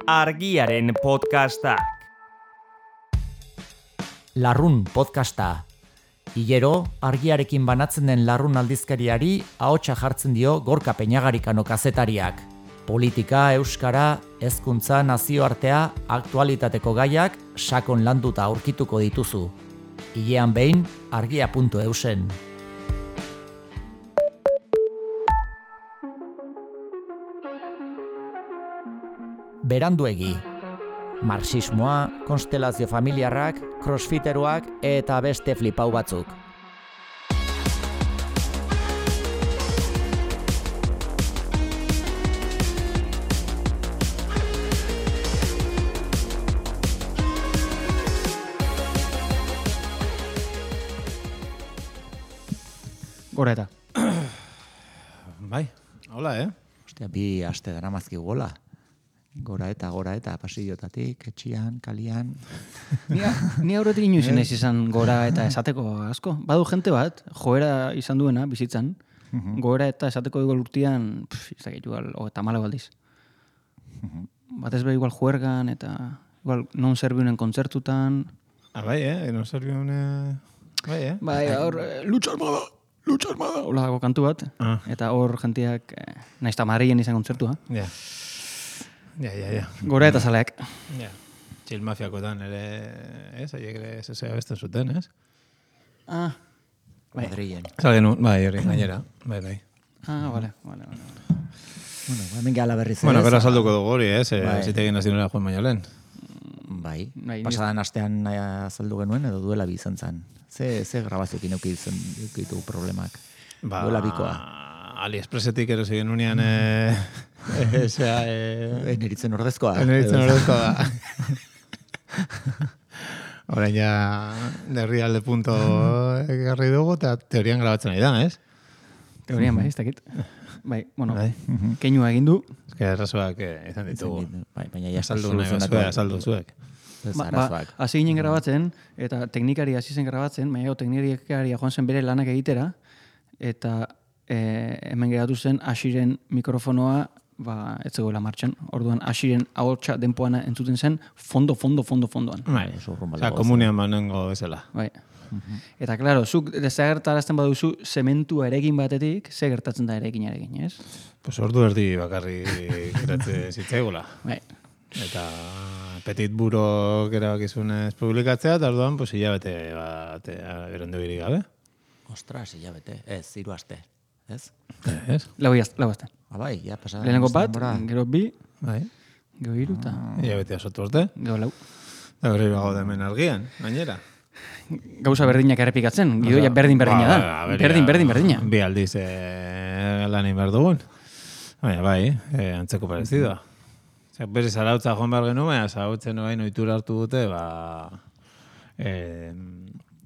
Argiaren podcastak. Larrun podcasta. Hilero, argiarekin banatzen den Larrun aldizkariari ahotsa jartzen dio Gorka Peñagarikano kazetariak. Politika, euskara, hezkuntza, nazioartea, aktualitateko gaiak sakon landuta aurkituko dituzu. Hilean behin, argia.eusen. Beranduegi. Marxismoa, konstelazio familiarrak, crossfiteroak eta beste flipau batzuk. Gora eta. Bai, hola, Ostia, bi aste daramazkigu gola. Gora eta pasillotatik, etxian, kalian. Ni aurretik inoiz naiz izan gora eta esateko asko. Badu jente bat, joera izan duena, bizitzan, gora eta esateko igual urtean, izakit igual, eta malo aldiz. Batez be igual juergan eta igual non serviunen kontzertutan. Bai, non serviunen... Bai, hor, lucha armada, hola dago kantu bat, eta hor jenteak, nahiz eta Madrilen izan kontzertua. Ja. Gora eta zaleak. Ja. Txil mafiakotan ere, haiek ere zezea besten zuten, Bai. Madrilen. Zalgen, bai, hori, gainera. Bai. Vale. Bueno, hemen gala berriz ez. Bueno, pero salduko dugu hori, Bai. zitegin nazionera joan baino lehen. Bai, Bai, pasadan astean azaldu genuen edo duela bi izan zen. Ze grabazioekin eukitu problemak. Duela bikoa. AliExpressetik erosi genunean, Neritzen ordezkoa. Neritzen ordezkoa da. Horain ja, derrialde punto egarri dugu, eta teorian grabatzen ari da, ez? Teorian bai, ez dakit. Bai, bueno, Bai. keinua egin du. Ez que errazoak izan ditugu. Baina ja Azaldu nahi bazue, azaldu zuek. Hasi ginen grabatzen, eta teknikari hasi zen grabatzen, baina teknikari joan zen bere lanak egitera, eta hemen geratu zen Asiren mikrofonoa ez zegoela martxan. Orduan Asiren ahotsa denpoan entzuten zen fondoan. Bai, oza, komunian manengo bezala. Bai. Eta, klaro, zuk desagertarazten baduzu zementua erekin batetik, ze gertatzen da erekin, ez? Pues ordu erdi bakarri geratze zitzaigula. Bai. Eta petit burok erabakizunez publikatzea, eta orduan, pues hilabete bat erondo giri gabe. Ostras, hilabete. Ez, 3 aste. Ez? Ez? Lau aste. Bai, ja, pasadan. Lehenengo bat, gero 2, Bai. gero 3, eta Hilabetea sotu urte. gero 4. Eta berriro gaude hemen argian, gainera. Gauza berdinak errepikatzen, gidoia berdina da. Berdina. Bi aldiz lan egin behar dugun. Baina bai, antzeko parezidoa. Berriz arautza joan behar genuen, baina zarautzen orain ohitura hartu dute,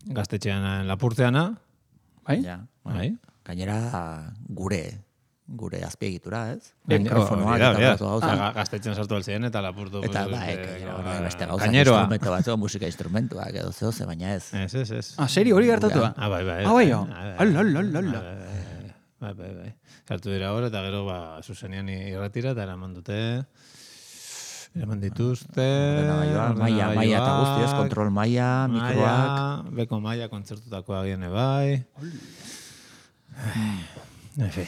gaztetxean lapurtzeana. Bai? Ja, Bai. gainera gure azpiegitura, ez? Mikrofonoak eta gauza gauza. Gaztetxean sartu altzien eta lapurtu. Eta bai, beste gauza Kaineroa. instrumento batzu, musika instrumentuak edo zehose, baina ez. Ez. Serio, hori gertatua? Bai. Bai, Ala. Bai. Sartu dira hor, eta gero, zuzenean irratira, eta eraman dituzte... Maia eta guzti, ez? Kontrol maia, mikroak... Beko maia kontzertutakoa giene bai... Efe...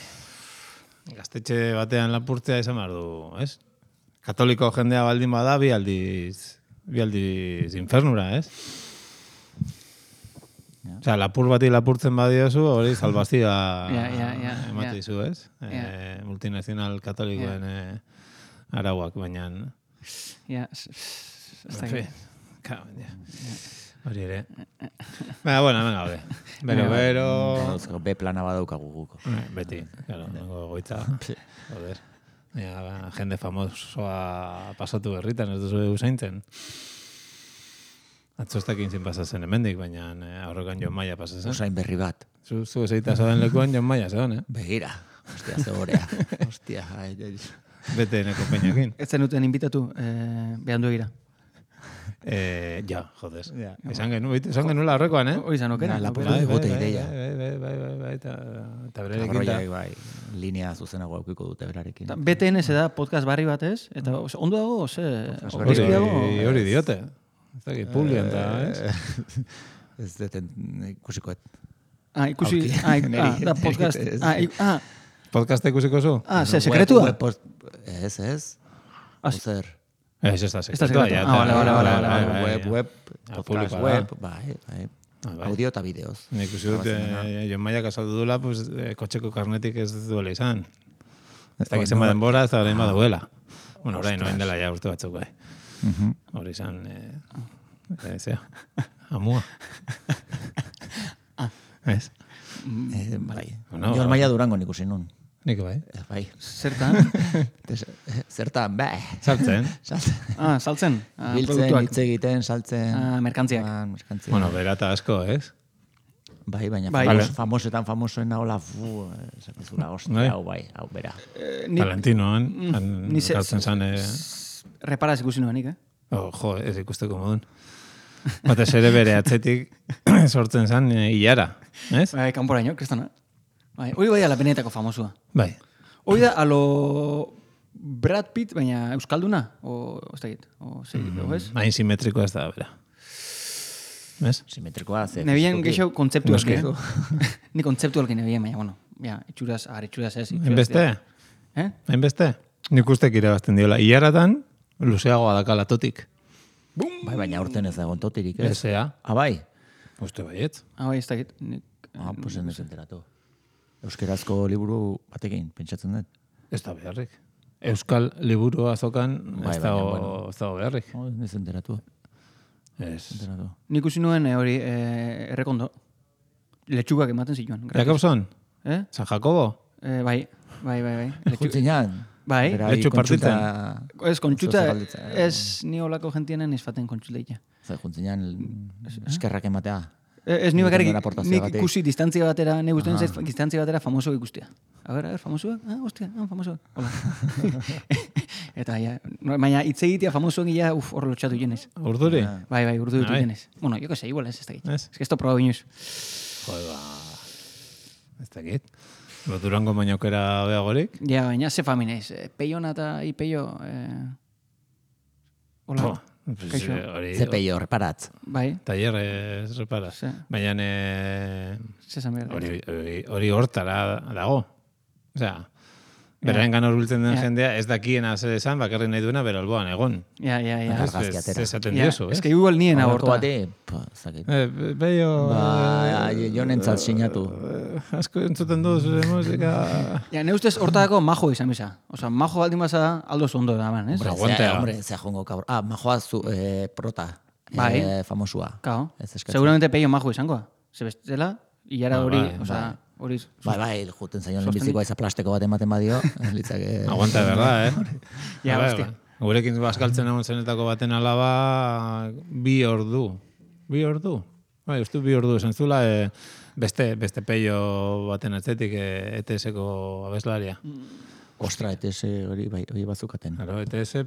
Gaztetxe batean lapurtzea izan behar du, ez? Katoliko jendea baldin bada, bi aldiz infernura, ez? Osea, lapur bati lapurtzen badiozu, hori salvazioa emate dizu, ez? Multinazional katolikoen arauak, baina... Ja, ez dakit. Hori ere. Baina, bueno, hemen gaude. Bero... B plana badaukagu guko. Beti, claro, nengo goitza. Joder. Jende famosoa pasatu berritan, ez duzu usaintzen. Atzostak inzin pasazen hemendik, baina aurrekan Jon Maia pasazen. Usain berri bat. Zu ezeita zauden lekuan Jon Maia zegoen, Begira. Ostia, zegorea. Ostia, Bete neko peinakin. Ez zenuten inbitatu, behandu egira. Ja, joder. Esan genuela horrekoan, Hoi izan okera. Lapurtu egote ideia. Bai, eta berarekin. Arroiak, bai, linea zuzenago aukiko dute berarekin. BTN da podcast barri bat ez? Eta ondo dago, Hori diote. Ez dakit, publian da, ez? Ez deten ikusikoet. Ikusi, da podcast. Podcasta ikusiko zu? Sekretua? Ez. Ozer. Ez da sekretua. Vale. Web, podcast web, bai. Audio eta bideoz. Nik ikusi dut, Jon Maiak azaldu dula, kotxeko karnetik ez duela izan. Ez da gizema denbora, ez da orain baduela. Bueno, orain, noen dela ja urte batzuk, bai. Hori izan, amua. Ez? Bai. Jon Maia Durango nik usi nun. Nik bai. Bai. Zertan? Zertan, bai. Saltzen. Saltzen. Biltzen, hitz egiten, saltzen. Merkantziak. Bueno, berata asko, ez? Bai, baina famosoen nahola, zapizula, ostia, hau bai, hau bera. Valentinoan, saltzen zan... Reparaz ikusi nuenik, Jo, ez ikusteko modun. Batez ere bere atzetik sortzen zan hilara, ez? Bai, kanporaino, kristona. Hoi bai ala benetako famosua. Bai. Hoi da alo Brad Pitt, baina euskalduna? Ez da git? Ez? Hain simetrikoa ez da, bera. Ez? Simetrikoa, ze... Nebien geixo kontzeptualki. Ni kontzeptualki nebien, baina, bueno, itxuraz ez. Hainbeste? Hainbeste? Nik ustek irabazten diola. Iaratan, luzeagoa dakala totik. Bai, baina urten ez dagoen totirik, ez? Ezea. Bai? Uste baiet. Bai, ez da git. Pues ez enteratu. Euskerazko liburu batekin, pentsatzen dut. Ez da beharrik. Euskal liburu azokan ez da beharrik. Ez enteratu. Ez. Nik usi nuen hori errekondo. Letxugak ematen zituen. Jakobson? San Jacobo? Bai. Jutzinean? Bai. Letxu partitzen? Ez, kontxuta, ez ni olako gentienen izfaten kontxuteia. Juntzinean eskerrak ematea. Ez ni bakarrik, nik ikusi distantzia batera, nik ustean zaiz distantzia batera famoso ikustia. A ver, famosoak? Hostia, famosoak. Hola. Eta, baina hitz egitea famosoak ia, hor lotxatu jenez. Urduri? Bai, urduri jenez. Bueno, yo que sé, igual ez da git. Ez que esto proba binuz. Joder, ez da git. Durango bainaukera beagorik? Ja, baina ze faminez. Peiona eta ipeio... Hola. Ze peio, reparatz. Bai. Taller reparatz. Baina hori hortara dago. Osea, beraren gana urbiltzen den jendea, ez dakiena zer esan, bakarri nahi duena, bero alboan, egon. Ja. Ez esaten diozu, ez? Ez que igual nien aborta. Beio... Jo nentzat sinatu. Asko entzuten duz, musika... Ja, ne ustez hortako majo izan bisa. Osa, majo baldin baza aldo zondo da, man, ez? Hombre, ze jongo kabro. Majoa prota. Bai. Famosua. Kao. Seguramente peio majo izangoa. Ze bestela, hilara hori, osa... Bai, juten zaion lehenbizikoa eza plasteko bat ematen badio. Aguanta, verdad, Ja, hostia. Gurekin bazkaltzen egon zenetako baten alaba 2 ordu. 2 ordu? Bai, uste 2 ordu esan zula, beste peio baten atzetik ETS-eko abeslaria. Ostra, ETS hori bazukaten. Claro, ETS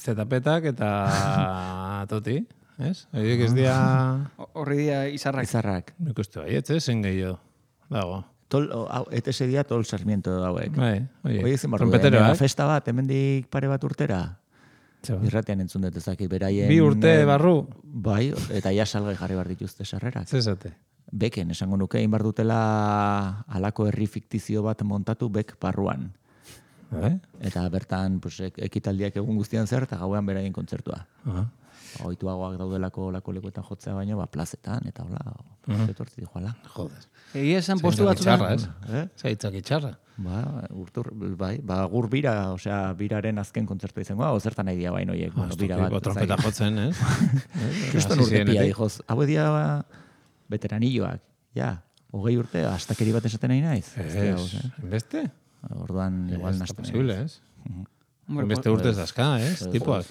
zetapetak eta toti, ez? Horiek ez dia... Horri dia izarrak. Nik uste bai, zen gehiago. Dago. ETS dia tol Sarmiento dauek. Bai, oie. Trompeteroak. Festa bat, hemendik pare bat urtera. Irratean entzun dut ezakit, beraien... 2 urte barru. Bai, eta ja salgai jarri bar dituzte sarrerak. Zezate. Beken, esango nuke, inbar dutela alako herri fiktizio bat montatu bek barruan. Eta bertan ekitaldiak egun guztian zer, eta gauean beraien kontzertua. Oituagoak daudelako lako lekuetan jotzea baino, plazetan, eta hola, etortzi dijoala. Joder. Egia esan postu batzutan. Zaitzak itxarra. Gur bira, osea, biraren azken kontzertu izango, zertan nahi dia bain oiek. Bira bat. Trompeta jotzen, ez? Kriston urtepia, dijoz. Hau edia veteranilloak, 20 urte, astakeri bat esaten nahi naiz. Beste? Orduan, igual nazten. Ez posible, ez? Beste urtez dazka, ez? Tipoak.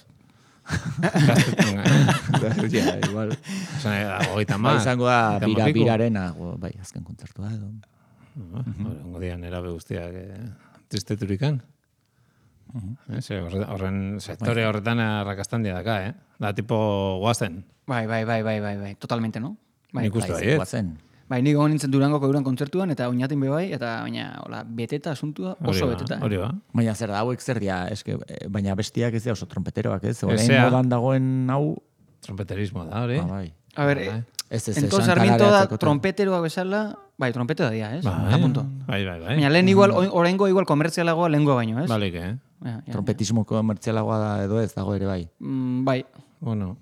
Igual. Izango da birarena, bai, azken kontzertua edo. Ongo dian erabe guztiak tristeturikan. Horren sektore horretan arrakastandia daka, Da tipo guazen. Bai, totalmente, no? Bai, Nik uste baiet. Guazen. bai, nik egon nintzen Durangoko euran kontzertuan, eta oinatin be bai, eta baina, hola, beteta asuntua, oso beteta. Hori ba. Baina zer da, hauek zer dia, eske, baina bestiak ez da oso trompeteroak, ez? Orain Ezea. modan dagoen hau... Trompeterismo da, hori? bai. A ver, Ez, entonces Sarmiento da trompeteroak bezala, bai, trompetero da dia, ez? Bai, A punto. bai. Baina lehen igual, oraingo igual komertzialagoa lehengoa baino, ez? Balik, Ja. Trompetismo komertzialagoa da edo ez dago ere bai. Bai, Bueno,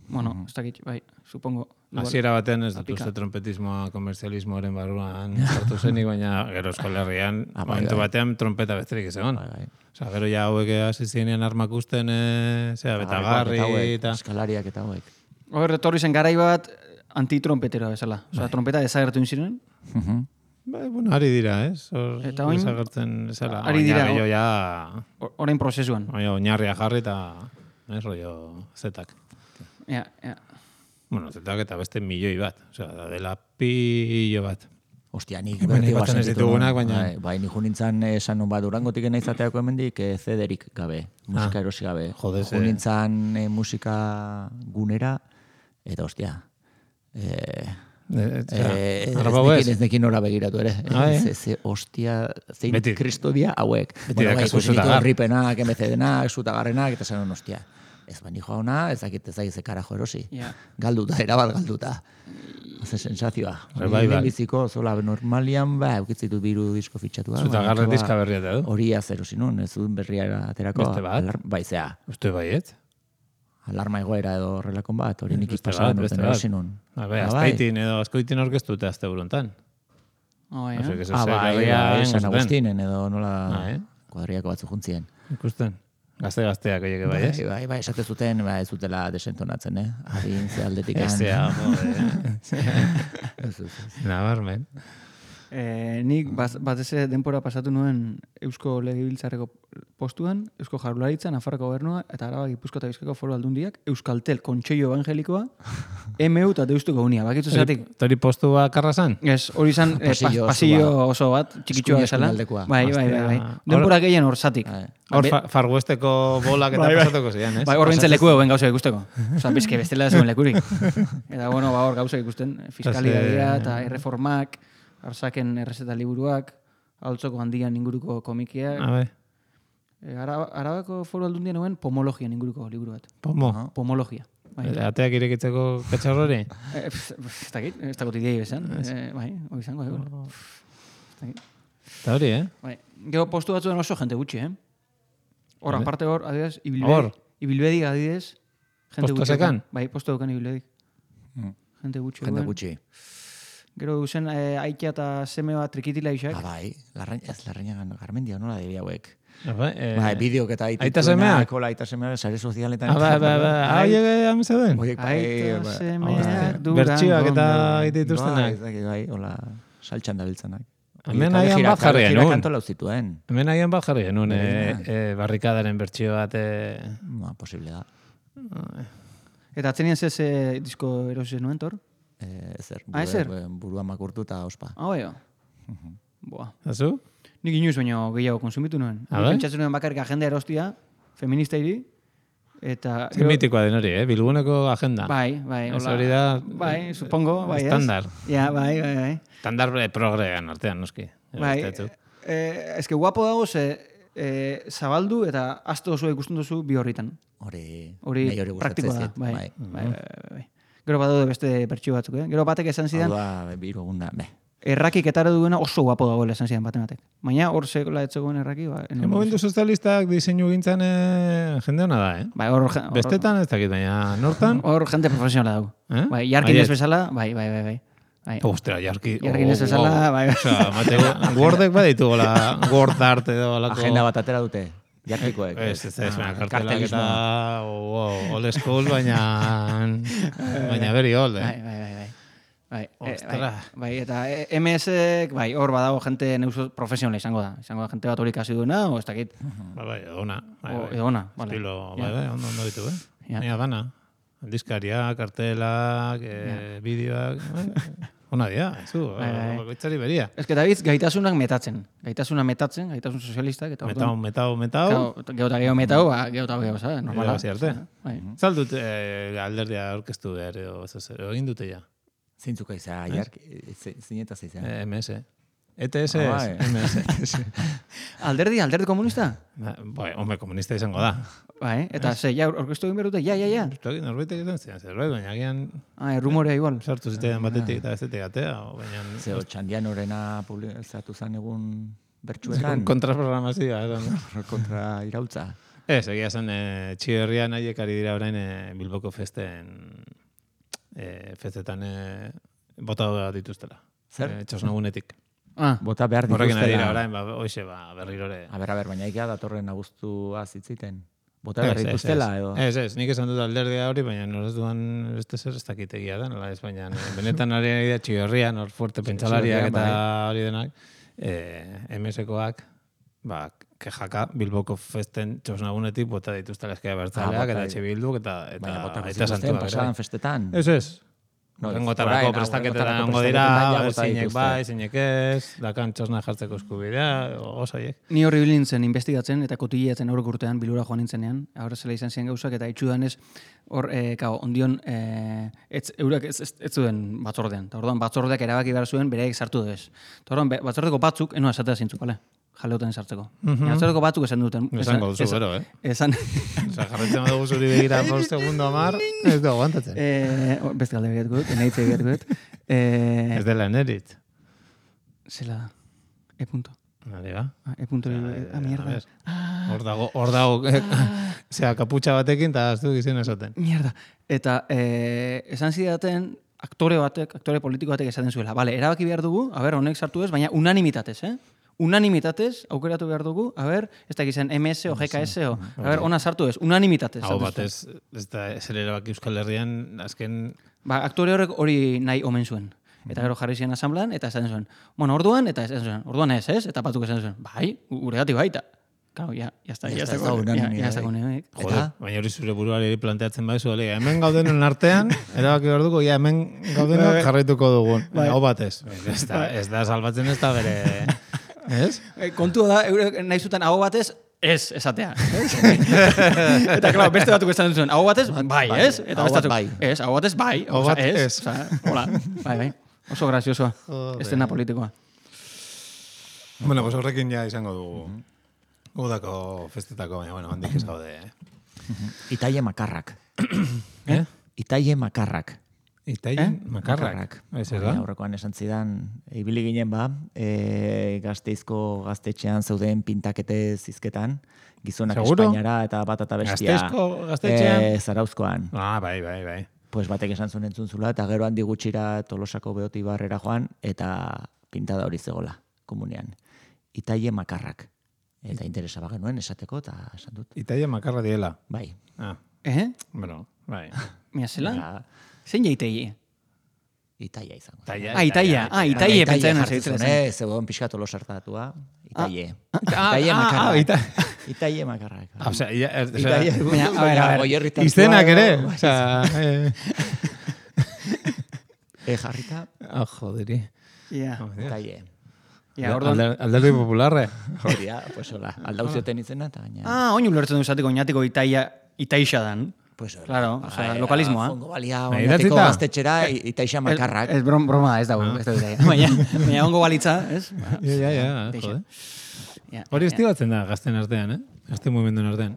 ez dakit, bai, supongo. Igual. hasiera batean ez dut Apika. uste trompetismoa komerzialismoaren barruan sartu zenik, baina gero Euskal Herrian, bai, momentu bai. batean trompeta besterik ez egon. Bai. Osa, gero ja hauek hasi zinean armak usten, betagarri eta... Eskalariak eta hauek. Hor, etorri zen garai bat antitrompeteroa bezala. Osea, trompeta desagertu inziren. Bai, bueno, ari dira, ez? Eta orain- desagertzen ezala. Ari dira, Baina gehiago ja... Orain prozesuan. Baina oinarria jarri eta... rollo zetak. Ja. Bueno, zetak eta beste milioi bat. Osea, da dela pillo bat. Ostia, nik Hemen bertigoa aipatzen ez sentitu ditugunak, nuen. baina- Bai, nik nintzen esan nun bat Durangotik naizateako hemendik zederik gabe, musika erosi gabe. jode, ze- Nintzen musika gunera, eta ostia, ez nekin ora begiratu ere. Ze ostia, zein Beti- kristodia hauek. beti dakazu zutagar. Ripenak, MCD-nak, zutagarrenak, eta zen ostia. Ez bani joa ona, ez dakit ze karajo erosi. Ja. Galduta, erabal galduta. Ze sensazioa. Revival. Biziko, zola, normalian, eukitzitut biru disko fitxatua. Zutagarre diska berria eta du. Hori azero zinun, ez dut berria aterako. Beste bat? Bai, zea, Uste baiet? alarma egoera edo horrelakon bat, hori nik Beste pasadan bat, beste urten bat. erosinun. Azpeitin edo azkoitin orkestu eta azte burontan. Bai, Ose, Ah, bai, San Agustinen edo nola Bai. kuadriako batzu juntzien. Ikusten. Gazte-gazteak oieke bai, ez? Bai, esate zuten, ez dutela desentonatzen, Adin ze aldetik. Ezea, nabarmen. Nik batez ere denpora pasatu nuen Eusko Legebiltzarreko postuan, Eusko Jaurlaritza, Nafarroko Gobernua eta Araba, Gipuzkoa eta Bizkaiko Foru Aldundiak, Euskaltel Kontseillo Evangelikoa, MU eta Deustuko Unia. Bakitzu zeratik? Tori postua karrazan? Ez, hori izan pasillo oso bat, txikitsua Eskuin bezala. eskuinaldekoa. Bai. Denpora gehien hor zatik. Hor Farguesteko bolak eta pasatuko zian, ez? Bai, hor bintzen leku egon gauzak ikusteko. Osa, bizke bestela ez zuen lekurik. Eta, bueno, hor gauzak ikusten, fiskalidadia eta erreformak, arsaken errezeta liburuak, altzoko handian inguruko komikiak. Bai. Arabako Foru Aldundian nuen pomologian inguruko liburu bat. Pomologia. Bai. Ateak irekitzeko katxarrori? Ez dakit idei bezan. Bai, hori izango. Eta hori, Bai. Gero postu batzuen oso jente gutxi, Hor, aparte hor, adidez, Hor? Ibilbedik adidez, jente Postu gutxi. zekan? Bai, postu dukan Ibilbedik. Jente gutxi. Jende duen. gutxi. Gero duzen aitea eta seme bat trikitila isak. Bai, larrainagan garmendia nola debi hauek. Bai, bideok eta aita semeak? Aita semeak, sare sozialetan. Bai, amezeden? Aita semeak durangon. Bertxioak eta egite dituztenak. Bai, hola, saltxan dabiltzanak. Hemen agian bat jarri genuen. Kanto lau zituen. Hemen agian bat jarri genuen, barrikadaren bertxio bat. Posible da. Eta atzenien zez disko erosi nuen, tor? Ezer. Ezer? Burua makurtu eta ospa. Bai. Boa. Azu? Nik inoiz baino gehiago konsumitu nuen. Pentsatzen nuen bakarrik agenda erostia, feminista hiri, eta... Mitikoa den hori, Bilguneko agenda. Bai. Ez hori da... Bai, supongo, bai, Estandar. Ja, bai. Estandar progrean artean, noski. Bai, eske guapo dago zabaldu eta asto oso ikusten duzu bi horritan. Hori praktikoa da. Bai. Gero badaude beste bertsio batzuk, Gero batek esan zidan... Hau da, biru egunda, Errakik etara duena oso guapo dagoela esan zidan baten batek. Baina hor zegoela etzegoen erraki, Momentu sozialistak diseinu gintzan jende hona da, Bai, Bestetan ez dakit, baina nortan... Hor jende profesionala dago. Bai, jarkin ez bezala, bai. Ostra, jarkin ez bezala, bai. Osa, Mateo, Wordek baditu gola, Word art edo alako... Agenda bat atera dute, jarkikoek. Ez, kartelak eta old school, baina very old, Bai, eta MS-ek, bai, hor badago jente neuso profesionala izango da. Izango da jente bat hori kasi duena, o ez dakit. Bai, edona. Edona, vale. Estilo, ondo ditu, Baina dana. Aldizkaria, kartelak, bideoak, Ona dia, zu, bakoitzari beria. Ez que David gaitasunak metatzen, gaitasun sozialistak, eta Metau. Geho metau, ¿sabes? Normala. Zaldut alderdia aurkeztu behar, egin dute ja. Zintzuka izan, zinetaz izan. MS. ETS MS. Alderdi komunista? Hombre, komunista izango da. Eta ja, orkestu egin behar dute, ja. Norbaitek izan zian, zerbait, baina agian... Rumorea igual. Sartu zitean batetik eta bestetik atea, baina... Zeo, Txandian horrena publizatu zan egun bertsuetan. Kontraprogramazioa, kontra irautza. Ez, egia zen, Txiberrian haiek ari dira orain Bilboko festetan bota dituztela. Zer? Txosnagunetik. Bota behar dituztela. Horrekin ari dira orain, hoxe, berrirore. A ber, baina ikea datorren abuztua zitziten. Bota behar dituztela, edo? Ez, nik esan dut alderdea hori, baina norez duan beste zer ez dakitegia da, nola ez, baina benetan ari da Txiberrian, hor fuerte pentsalariak eta hori denak, MS-koak, kejaka Bilboko festen txosnagunetik bota dituztela eskea bertzaleak, eta etxe bilduk, eta zituzten pasadan festetan. Ez. Rengotarako prestaketetan ongo dira, zeinek bai, zeinek ez, dakan txosna jartzeko eskubidea, osoiek. Ni horri bilintzen investigatzen eta kotileatzen aurrek urtean bilura joan nintzenean, ahora zela izan ziren gauzak, eta itxudanez, hor, ondion, eurak ez zuen batzordean. Eta orduan batzordeak erabaki behar zuen, bereik sartu duz. Eta orduan batzordeko batzuk, enoa esatea zintzuk, bale? Jaleoten sartzeko. Batzordeko batzuk esan duten. Esango duzu, bero, Esan. Jarretzen dugu zuri begira por segundo amar, ez du aguantatzen. Beste galde begiratuko dut, eneitze begiratuko dut. Ez dela eneritz. Zela da. E-punto. Nari ba? Mierda. Hor dago, zera, kaputxa batekin, eta ez du gizien esaten. Mierda. Eta esan zidaten, aktore politiko batek esaten zuela. Bale, erabaki behar dugu, honek sartu ez, baina unanimitatez, unanimitatez, aukeratu behar dugu, ez da gizien MS o GKS o, ona sartu ez, unanimitatez. Hau batez, ez da, zer erabaki Euskal Herrian, azken... Aktore horrek hori nahi omen zuen. Eta gero jarri ziren asamblean, eta esan zuen, orduan, eta esan zuen, orduan ez, eta batzuk esan zuen, bai, guregatik baita. Claro, ya está unanimidad. Joder, baina hori zure buruari planteatzen baizu, hemen gaudenen artean, erabaki behar dugu, hemen gaudenak jarraituko dugun. Hau batez. Ez da salbatzen ez da bere... Ez? Kontua da, nahi zuten hau batez, ez esatea. Eta, claro, beste batuk esan zuen, hau batez, bai, ez? Eta beste batuk, ez, hau batez, bai, ez. Hola, bai. Oso graziosoa, estena politikoa. Bueno, pues horrekin ja izango dugu. Udako festetako, baina, bueno, handik ez gaude. Itaie makarrak. Itaie makarrak. Makarrak. Aurrekoan esan zidan, ibili ginen Gasteizko gaztetxean zeuden pintakete zizketan, gizonak Espainiara eta bat eta bestia. Gasteizko gaztetxean? Zarauzkoan. Bai. Pues batek esan zuen entzuntzula, eta gero handi gutxira Tolosako Beoti barrera joan, eta pintada hori zegola, komunean. Itaie makarrak. Eta interesa bagenuen esateko, eta esan dut. Itaie makarra diela. Bai. Bueno, bai. Mira, zela? Zein jaiteie? Itaia izango. Itaie pentsatzen jartzen. Zegoen pixka Tolosartatua. Itaie. Itaie makarrak. Itaie makarrak. Izenak ere. Jarrita. Joderi. Itaie. Alderdi popularre. Horia, pues hola. Aldauzioten izena eta gaina. Oin ulertzen du izateko oinatiko itaixa dan. Pues claro, o sea, lokalismoa. Fongo balia oinatiko gaztetxera itaixa makarrak. Ez broma, ez dago. Baina ongo balitza, ez? Ja, jode. Hori estibatzen da gazten artean, Gazten mugimenduen artean.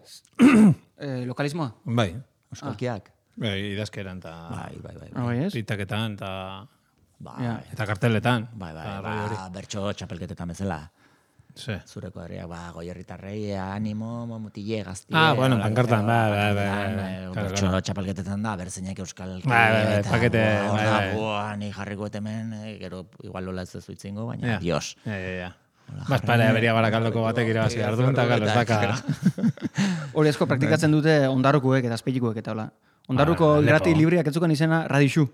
Lokalismoa? Bai. Euskalkiak. Idazkeran eta... Bai. Pitaketan eta... Eta karteletan. Bai, bertxo txapelketetan bezala. Zureko herriak, goierritarrei, animo, motile, gaztie... bueno, pankartan, bertxo txapelketetan da, berzeinak euskal... pakete, ni jarriko etemen, gero igual lola ez zuitzingo, baina, dios. Baspare, beria barakaldoko batek irabazi hartu, eta galo, ez daka... Hori asko praktikatzen dute ondarrukuek eta azpeitikuek eta hola. Ondarruko irrati libriak etzukan izena Radixu.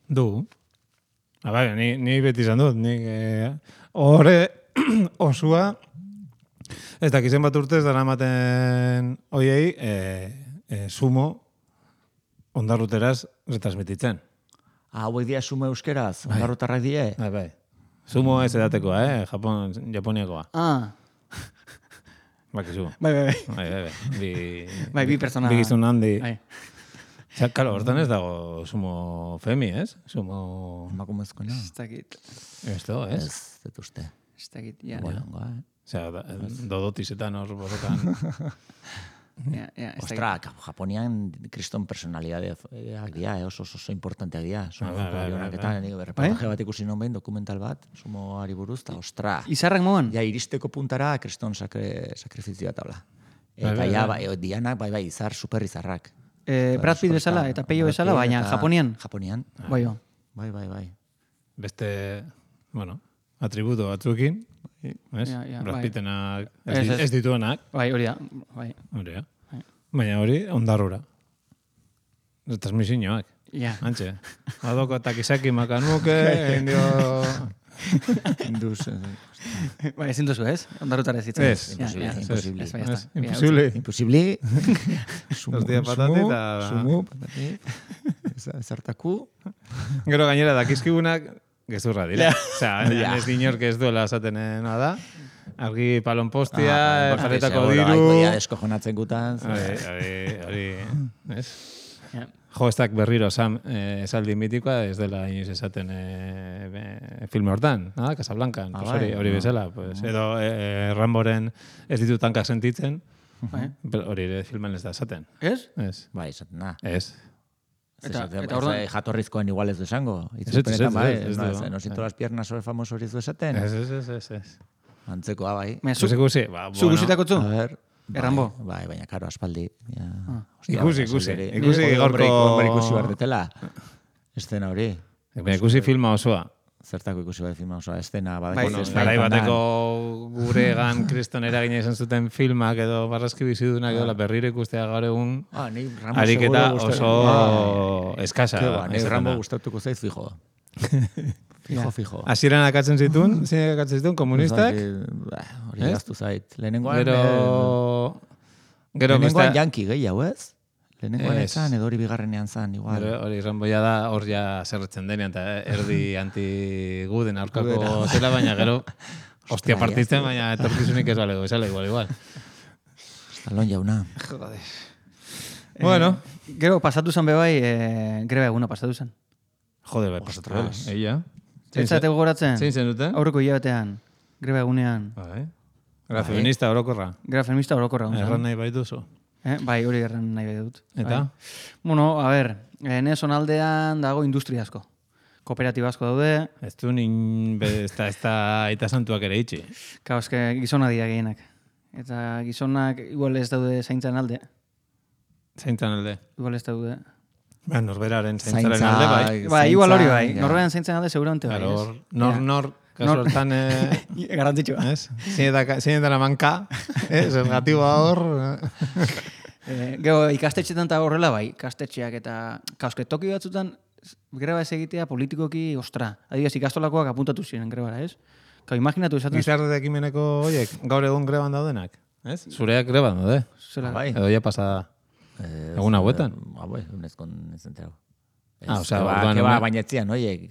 Du. Ni beti izan dut, horre osua, ez dakizen bat urtez dara ematen oiei, sumo ondarruteraz retransmititzen. Hauek dia sumo euskeraz, ondarrotarrak die. Bai. Sumo ez edatekoa, Japoniakoa. Bakizu. Bai. Bi pertsona. Bi gizun handi. Bai. Osea, kalo, hortan ez dago sumo femi, ez? Sumo... Emakumezkoena. Ez dakit. Esto, ez? Ez, dut uste. Ez dakit, ja. Bolongoa, Osea, dodotizetan hor borrokan. Ostra, Japonian kriston personalidadeak dira, oso importanteak dira. Reportaje bat ikusi non behin, dokumental bat, sumoari buruz, eta ostra. Izarrak moan? Ja, iristeko puntara kriston sakrifizioa tabla. Eta ja, dianak, bai, izar, super izarrak. Brad Pitt bezala eta Peio bezala, baina Japonian. Japonian. Bai. Beste, atributo batzuekin, ez? Brad Pittenak ez dituenak. Bai, hori da. Baina hori, ondarrura. Transmisioak. Ja. Antxe. Adoko eta kisaki makanuke, indio... Induz. Bai, ezin duzu, ez? Ondarrutara ez ditzen. Imposible. Los días patati eta... Sumu, patati. Zartaku. Gero gainera dakizkigunak gezurra dira. Osea, ez dinork ez duela esaten nada. Argi palonpostia, jarretako diru... Ja, eskojonatzen gutan. Hori, ez? Jo, ez berriro esaldi mitikoa, ez dela inoiz esaten filme hortan, Casablanca, hori bezala. Edo Ramboren ez ditu tankak sentitzen, hori ere filmen ez da esaten. Ez? Ez. Bai, esaten da. Ez. Eta jatorrizkoan igual ez du esango. Ez. No siento las piernas sobre famoso hori ez du esaten. Ez. Antzekoa, bai. Zuzikusi? Zu guzitako zu? A ver... Errambo? Bai, baina karo, aspaldi. Ikusi gorko... Ikusi bardetela. Estena hori. Ikusi filma osoa. Zertako ikusi bat filma osoa. Estena garai bateko guregan kriston eragina izan zuten filmak edo barrazki bizidunak edo berriro ikustea gaur egun ariketa oso eskasa. Ni Rambo gustatuko zaiz fijo. Fijo. Hasieran akatzen zituen komunistak. Hori gaztu zait. Lehenengoan janki gehiago, ez? Lehenengoan etzan, edo hori bigarrenean zan, igual. Hori Ramboia da, hor ja zerretzen denean, eta erdi anti-guden aurkako zela, baina gero, hostia partitzen, baina etorkizunik ez balego, esala igual. Estalon jauna. Joder. Bueno. Gero, pasatu zen bebai, greba eguna pasatu zen. Jode, bai, pasatu zen. Eia. Etzate gogoratzen? Zein zen duten? Aurreko hilabetean, greba egunean. Greba feminista orokorra. Greba feminista orokorra. Erran nahi baituzu. Bai, hori erran nahi baitut. Eta? Bueno, a ver, nez onaldean dago industria asko. Kooperatiba asko daude. Ez du ez da aita santuak ere itxi. Kau, eske gizona dira gehienak. Eta gizonak igual ez daude zaintzan alde. Zaintzan alde? Igual ez daude. Norberaren zaintzaren alde, bai. Bai, igual hori bai. Norberaren zaintzaren alde seguramente bai. Nor, kasu hortan... Garantzitsua. Zein dela manka, zergatiboa hor... Gero, ikastetxetan eta horrela bai, ikastetxeak eta kauske toki batzutan greba ez egitea politikoki, ostra. Adibidez, ikastolakoak apuntatu ziren grebara, ez? Kau, imaginatu esaten... Gizarte ekimeneko horiek, gaur egun greban daudenak, ez? Zureak greban daude. Bai. Edo ja pasada... Egun hauetan? Bai, unezkon ez entero. Osea, baina etzian, oie.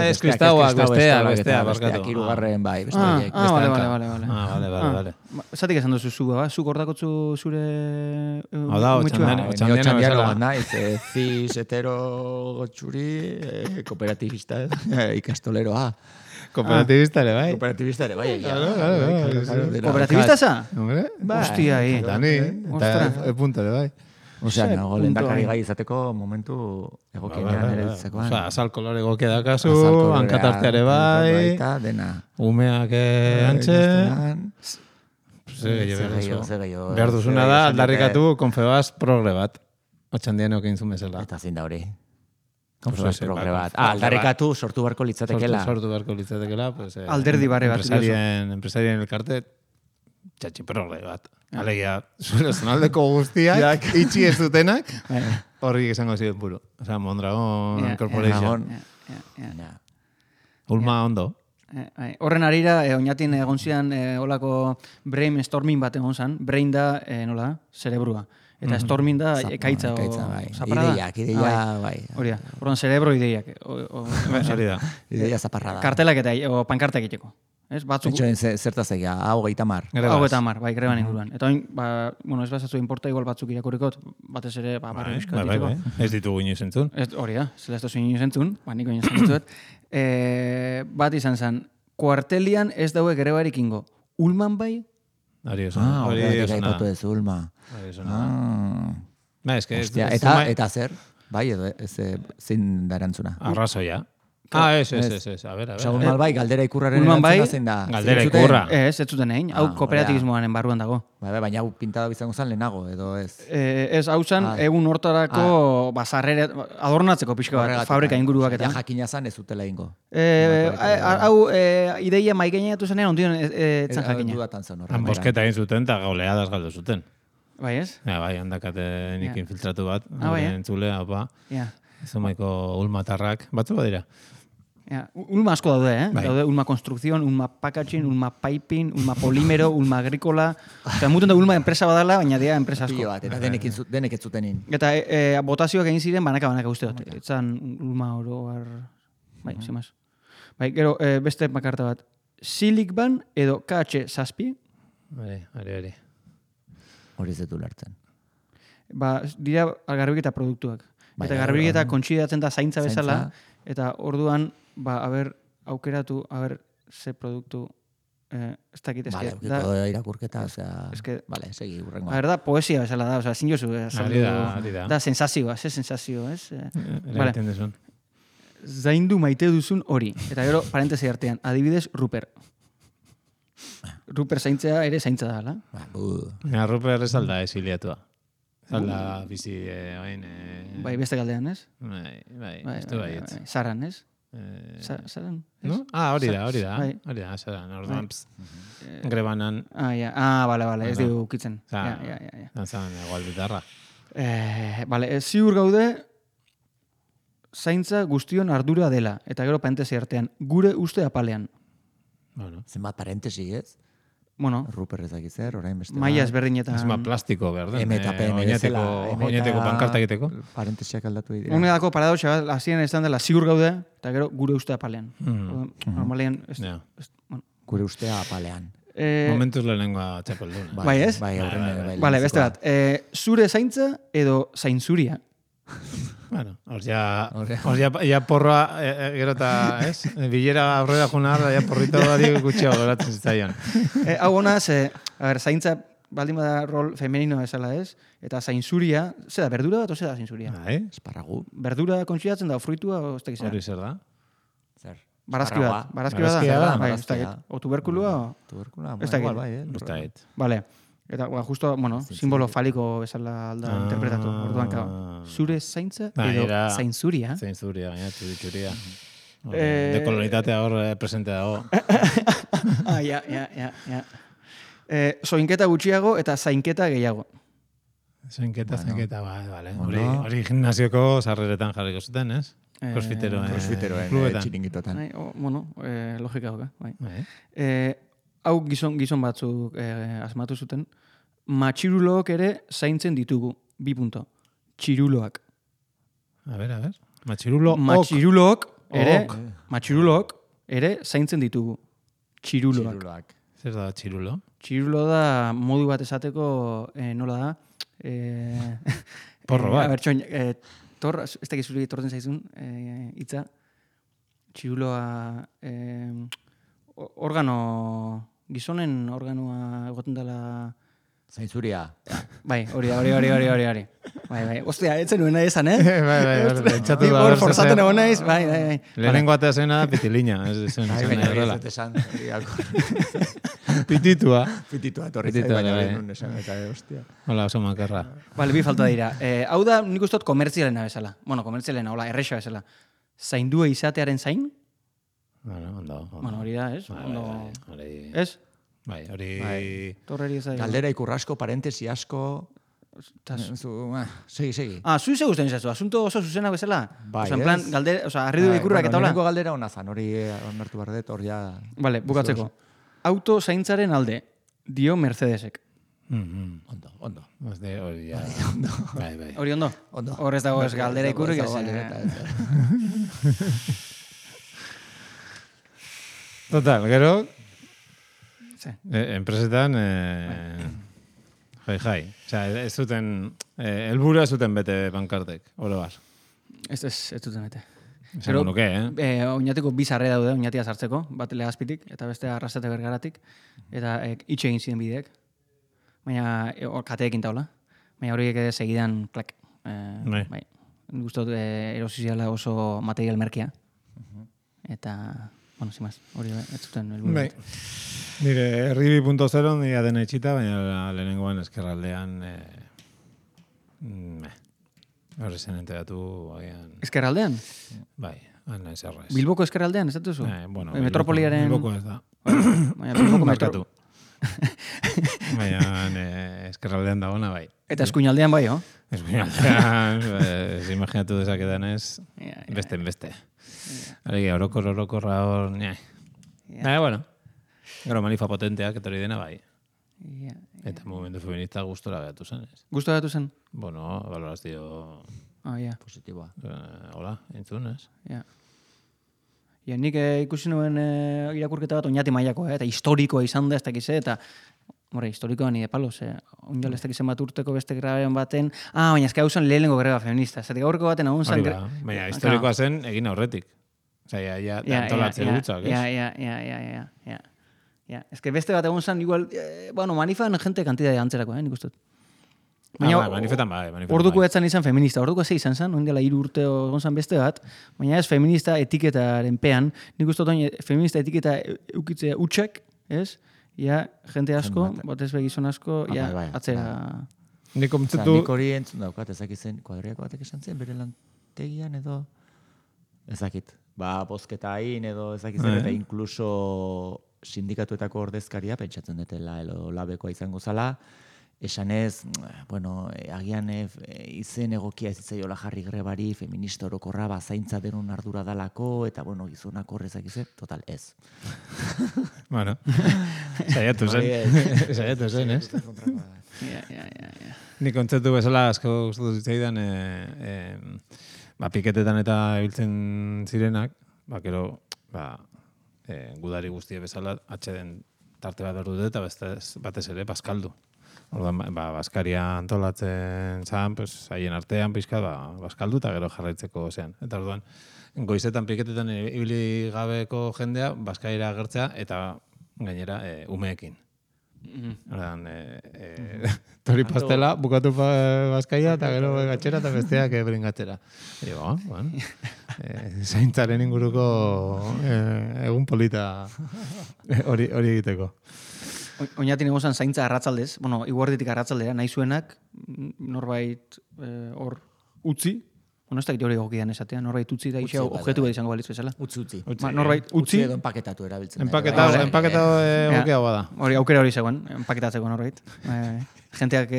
Ez kristauak, bestea, barkatu. Hirugarren, bai, beste horiek. Vale. Zatik esan duzu zu, zuk ordakotzu zure... Hau da, otxandiano bat naiz, cis, hetero, gotxuri, kooperatibista, ikastoleroa. Kooperatibista ere, bai? Kooperatibista ere, bai. Kooperatibista za? Hostia, ahí. Eta ni, eta punto ere, bai. Osea, nago lehendakari gai izateko momentu egokienean ere ditzekoan. Osea, azal kolore egokia dakazu, hankatarteare bai, dena. Umeak antxe. Behar duzuna da, aldarrikatu Confebas progre bat. Otxandianok egin zuen bezala. Eta zin da hori. Confebas progre bat. Aldarrikatu sortu barko litzatekela. Sortu barko litzatekela. Alderdi barre bat. Empresarien elkarte, txatxi progre bat. Alegia, zure zonaldeko guztiak, itxi ez dutenak, horrik esango ziren puro. Osea, Mondragon Corporation. Ulma ondo. Horren arira, oinatin egon zian olako brainstorming bat egon zan. Brain da, nola, cerebrua. Eta stormin da ekaitza o zaparrada. Ideia, bai. Hori da, orduan cerebro ideiak. Hori da. Ideia zaparrada. Kartelak eta o pankartak egiteko. Ez, batzuk... Etxoen zertaz egia, hau 30. Hau 30, bai, greban inguruan. Eta oin, bueno, ez bazatzu inporta igual batzuk irakurikot, batez ere, barri bizka diteko. Ez ditugu inoiz entzun. Hori da, zela ez dozu inoiz entzun, niko inoiz entzuet. Bat izan zen, kuartelian ez daue grebarik ingo. Ulman bai? Hori osona. Hori osona. Hori osona. Ulma. Hori osona. Ba, Eta zer? Bai, edo zein da erantzuna? Arrazoia. Ez. A ver. Ulman bai, galdera ikurraren erantzuna zein da. Galdera ikurra. Ez zuten egin. Hau kooperatibismoaren barruan dago. Baina hau pintada bizango zen lehenago, edo ez? Ez, hau zen, egun hortarako bazarrere adornatzeko pixka bat, fabrika inguruak eta. Ja jakina zan ez zutela ingo. Hau ideia maikaineatu zenean, ondion etzan jakina. Dudatan zen Han bosketa egin zuten eta gauleadas galdu zuten. Bai ez? Bai, handakate nik infiltratu bat. Bai, entzulea, Zumaiko ulmatarrak, batzu badira. Ulma asko daude, Daude ulma konstrukzion, ulma packaging, ulma piping, ulma polimero, ulma agrikola. Eta muten da ulma enpresa badala, baina dira enpresa asko. Eta denek ez zutenin. Eta botazioak egin ziren banaka uste dut. Etzan ulma oro bai, zimaz. Bai, gero beste makarta bat. Silicban edo KH7. Hori. Hori zetu lartzen. Dira garbiketa produktuak. Eta garbiketa kontsidatzen da zaintza bezala. Eta orduan, aukeratu, ze produktu, ez dakit, eske... irakurketa, vale, segi, urrengo. Da, poesia bezala da, zin jozu, da sensazioa, ze sensazio, ez? Zaindu maite duzun hori. Eta gero, parentesi artean, adibidez, Ruper. Ruper zaintzea ere zaintza da, ala? Ruper ez alda esiliatua. Zalda bizi hain... Bai, beste galdean, ez? Bai, ez du baietz. Saran, ez? Saran? No? Hori da, saran. Orduan, grebanan... Bale, ez dugu ukitzen. Zan, egual bitarra. Ziur gaude, zaintza guztion ardura dela. Eta gero parentesi artean, gure uste apalean. Zenbat parentesi, ez? Bueno, Ruper ezak izer, orain beste. Maia ezberdinetan. Ez plastiko, berden. M eta PM oineteko pankarta egiteko. Parentesiak aldatu dira. Honetako paradoxa, hasien izan dela ziur gaude, eta gero gure ustea apalean. Normalean, gure ustea apalean. Momentuz lehenengoa txapelduna. Bai, ez? Bai, aurren. Bale, beste bat. Zure zaintza edo zaintzuria? Bueno, hor ja porroa, gero eta, ez? Bilera aurrera junar, ja porrito badi gutxiago geratzen zitzaion. Hau honaz, zaintza baldin bada rol femenino bezala, ez? Eta zaintzuria, zera, berdura bat o zera zaintzuria? Esparagu. Berdura kontsidatzen da, fruitua o ez tekiz? Hori zer da? Zer? Barazki bat. Barazki bat da. O tuberkulua? Tuberkulua, igual bai, Ez dakit. Vale. Eta, justo, simbolo faliko bezala alda interpretatu. Orduan, zure zaintza edo zaintzuria. Zaintzuria, baina txuria. Dekolonitatea hor presente dago. Ja. Soinketa gutxiago eta zainketa gehiago. Zainketa, bale. Hori gimnasioko sarreretan jarriko zuten, ez? Crossfiteroen txiringitotan. Logika hoka. Hau gizon batzuk asmatu zuten, matxirulook ere zaintzen ditugu, 2 punto. Txiruloak. A ver. Matxirulook ere zaintzen ditugu, txiruloak. Zer da txirulo? Txirulo da modu bat esateko, nola da? Porro bat. Bertxoin, ez da gizuri torten zaizun, hitza. Txiruloa, gizonen organoa egoten dela... Zaintzuria. Bai, hori. Bai. Ostia, etzen nuen nahi esan, Bai. Txatu da. Hor forzaten egon naiz, bai. Lehenengo atea zena pitilina. Pititua. Torri zai, baina lehenen esan, eta hostia. Hola, oso makarra. Bale, bi falta dira. Hau da, nik ustot komertzialena bezala. Bueno, komertzialena, hola, erresa bezala. Zaindua izatearen zain? Ondo. Bueno, hori da, ez? Ez? Bai, hori... Torreri ezagir. Galdera ikurrasko, parentesi asko... Segi. Zui ze guztien izazu, asunto oso zuzena bezala? Bai, en plan, galdera, arredu ikurrak eta hola? Neneko galdera hona zan, hori onartu bardet, hor ja... Vale, bukatzeko. Auto zaintzaren alde, dio Mercedesek. Ondo. Hori ja. Bai. Hori ondo? Hor ez dago ez galdera ikurrik ez. Total, gero, Sí. enpresetan, jai. Osea, ez zuten, helburua zuten bete pankartek, oro bar. Ez duten bete. Esango nuke, Oñatiko bi sarre daude, Oñatia sartzeko, bat Legazpitik eta beste Arrasate Bergaratik, eta itxe egin ziren bideek. Baina kateekin taula. Baina horiek segidan, klak. Bai. Gustot erosiziala oso material merkia. Eta, bueno, sin más, hori ez zuten helburu. Bai. Nire herri 2.0 nire dena itxita, baina lehenengoan eskerraldean horre zen enteratu Eskerraldean? Bai, ana eserrez. Bilboko eskerraldean, ez datuzu? Bueno, Metropoliaren... Bilboko ez da. Baina Bilboko Markatu. Baina eskerraldean dagoena bai. Eta eskuinaldean bai, ho? Eskuinaldean, imaginatu dezaketan ez, beste. Alegia, orokorra hor, bueno. Gero manifa potenteak, eta hori dena bai. Eta momentu feminista gustora gatu zen, ez? Gustora gatu zen? Bueno, valorazio... Positiboa. Hola, entzun, ez? Ja, nik ikusi nuen irakurketa bat Oñati mailako, eta historikoa izan da, ez dakiz, eta historikoa nire palos, oinal ez dakizen bat urteko beste grabaren baten, baina ezka hauzen lehenengo greba feminista, zatik aurreko baten hau zen... Baina historikoa zen egin aurretik. Osea, ja antolatzen gutzak, ez? Ez que beste bat egon zen, igual, manifan jente kantidade antzerako, nik ustut. Baina, manifetan bai. Orduko etzan izan feminista, orduko ze izan zen, oindela 3 urte egon zen beste bat, baina ez feminista etiketaren pean, nik ustut feminista etiketa eukitzea utxak, ez? Ja, jente asko, batez begizon asko, atzera... Nik hori entzun daukat, ezakizen, kuadriako batek esan zen, bere lantegian edo... Ezakit, bozketa hain edo ezakizen, eta inkluso sindikatuetako ordezkaria, pentsatzen dutela, labekoa izango zala, esanez, agian izen egokia ez itzaiola jarri grebari, feminista orokorra zaintza denon ardura dalako, eta gizonak horrezak izan, total, ez. Bueno, saiatu zen, ez? Ni kontzeptu bezala asko gustatu zitzaidan, piketetan eta ibiltzen zirenak, gero, gudari guztie bezala, atxeden tarte bat berdu dut, eta batez ere, bazkaldu. Orduan, Baskaria antolatzen zan, haien artean pixka, bazkaldu eta gero jarraitzeko zean. Eta orduan, goizetan piketetan ibili gabeko jendea, Baskaira agertzea eta gainera umeekin. Orduan, tori pastela, bukatu Baskaia eta gero gatxera eta besteak bringatxera. Zaintzaren inguruko egun polita hori egiteko. Oñatin egozan zaintza arratzaldez, iguarditik arratzaldera, nahi zuenak, norbait hor utzi, ez da hori egokidan esatea, norbait utzi da isa objektu bat izango balitz bezala. Utzi. Norbait utzi edo empaketatu erabiltzen. Empaketatu egokia bada. Hori aukera hori zegoen, empaketatzeko norbait. Jenteak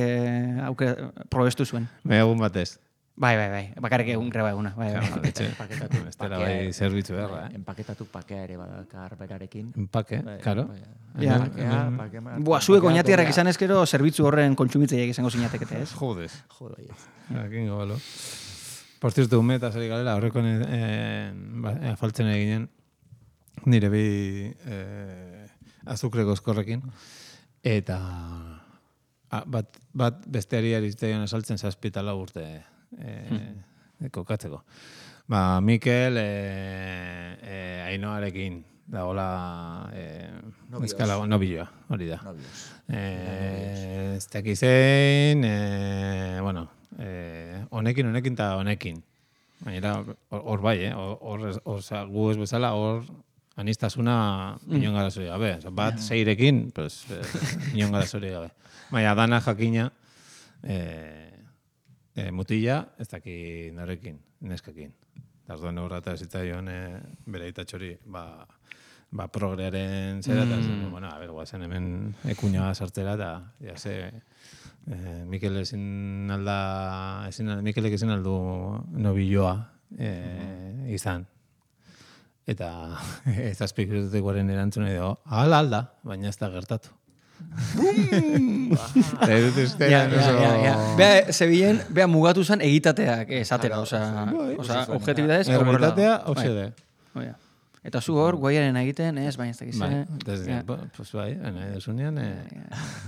aukera probestu zuen. Egun batez. Bai, bakarrik egun greba eguna. Empaketatu. Estela bai zerbitzu erra, Empaketatu pakea ere badakar berarekin. Empake, karo. Zuek oñatiarrak izan ezkero, zerbitzu horren kontsumitzeiak izango zinatekete, ez? Jodez. Akin gobalo. Por cierto, umeta zari galera, horrekoen faltzen eginen nire bi azukreko eskorrekin. Eta bat besteari arizteion esaltzen 7 urte kokatzeko. Mikel Ainoarekin dagoela nobioa, hori da. Ez dakizein, honekin eta honekin. Baina hor bai, gu ez bezala, hor anistasuna inon gara zori gabe. Bat zeirekin, inon gara zori gabe. Baina dana jakina mutila, ez daki norekin, neskakin. Tarduan horrata zitzaion bere itatxori, progrearen zera, eta guazen hemen ekuña sartzera, eta jase, Mikelek ezin aldu nobilloa izan. Eta ez azpikritutikoaren erantzuna edo, alda, baina ez da gertatu. Bea, Sevillen, bea mugatu zen egitateak esatera, oza, objetibidadez. Errealitatea, oxede. Eta zu hor, guaiaren egiten, ez, baina ez dakiz. Pues bai, nahi desunean,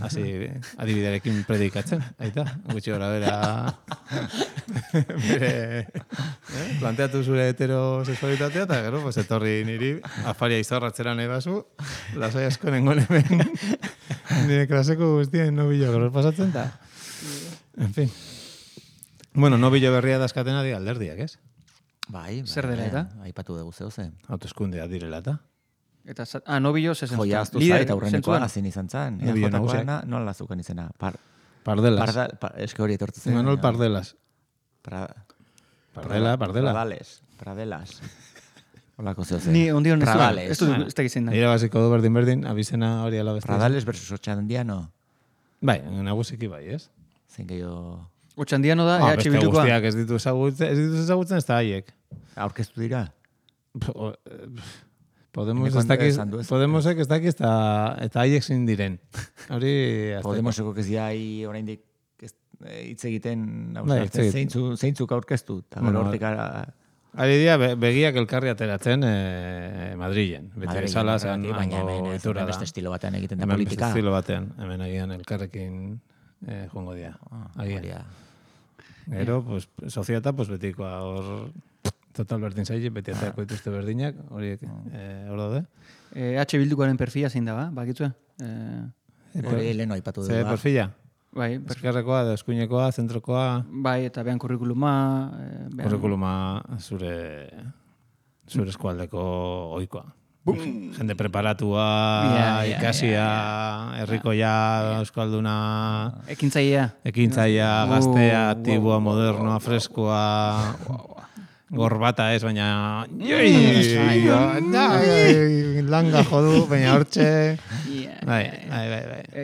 hasi adibidearekin predikatzen, aita, gutxi gora bera, bere, planteatu zure heterosexualitatea, eta gero, pues etorri niri, afaria izorratzera nahi bazu, lasai asko nengon hemen, nire klaseko guztien nobillo gero pasatzen, eta, en fin. Bueno, nobillo berria dazkatena di alderdiak, ez? Bai, zer dela eta? Aipatu dugu zeu zen. Hauteskundea direla eta. Eta, nobillo zezen. Joia aztu zait, aurrenekoa azin izan zen. Nobillo nagusiak. Nola zuken izena? Pardelas. Eske hori etortu zen. Manuel Pardelas. Pardela. Pradelas. Olako zeu zen. Ni ondion ez Pradales. Ez dakitzen da. Ira basiko du berdin, abizena hori alabezte. Pradales versus Otxandiano. Bai, nagusiki bai, ez? Zein gehiago... Otxandiano da, beste bildukoa. guztiak ez ditu ezagutzen, ez da haiek. Aurkeztu dira? Podemosek ez dakiz eta haiek zin diren. Hori... Podemoseko ez diai oraindik hitz egiten, zeintzuk aurkeztu. Hortik ari dira, begiak elkarri ateratzen Madrilen. Beti bezala, zen baina beste estilo batean egiten da politika. Beste estilo batean, hemen agian elkarrekin joango dira. Gero, pues, soziata, pues, betikoa hor total berdin zaile, beti ateako dituzte berdinak, horiek hor daude. H bildukoaren perfila zein da, ba? Bakitzua? Hori leheno aipatu dugu. Zer perfila? Bai, Eskerrekoa, eskuinekoa, zentrokoa. Bai, eta behan kurrikuluma. Kurrikuluma zure eskualdeko oikoa. Jende preparatua, ikasia, herrikoia, euskalduna... Ekintzaia, gaztea, aktiboa, modernoa, freskoa... Gorbata ez, baina... Langa jodu, baina hortxe... Bai.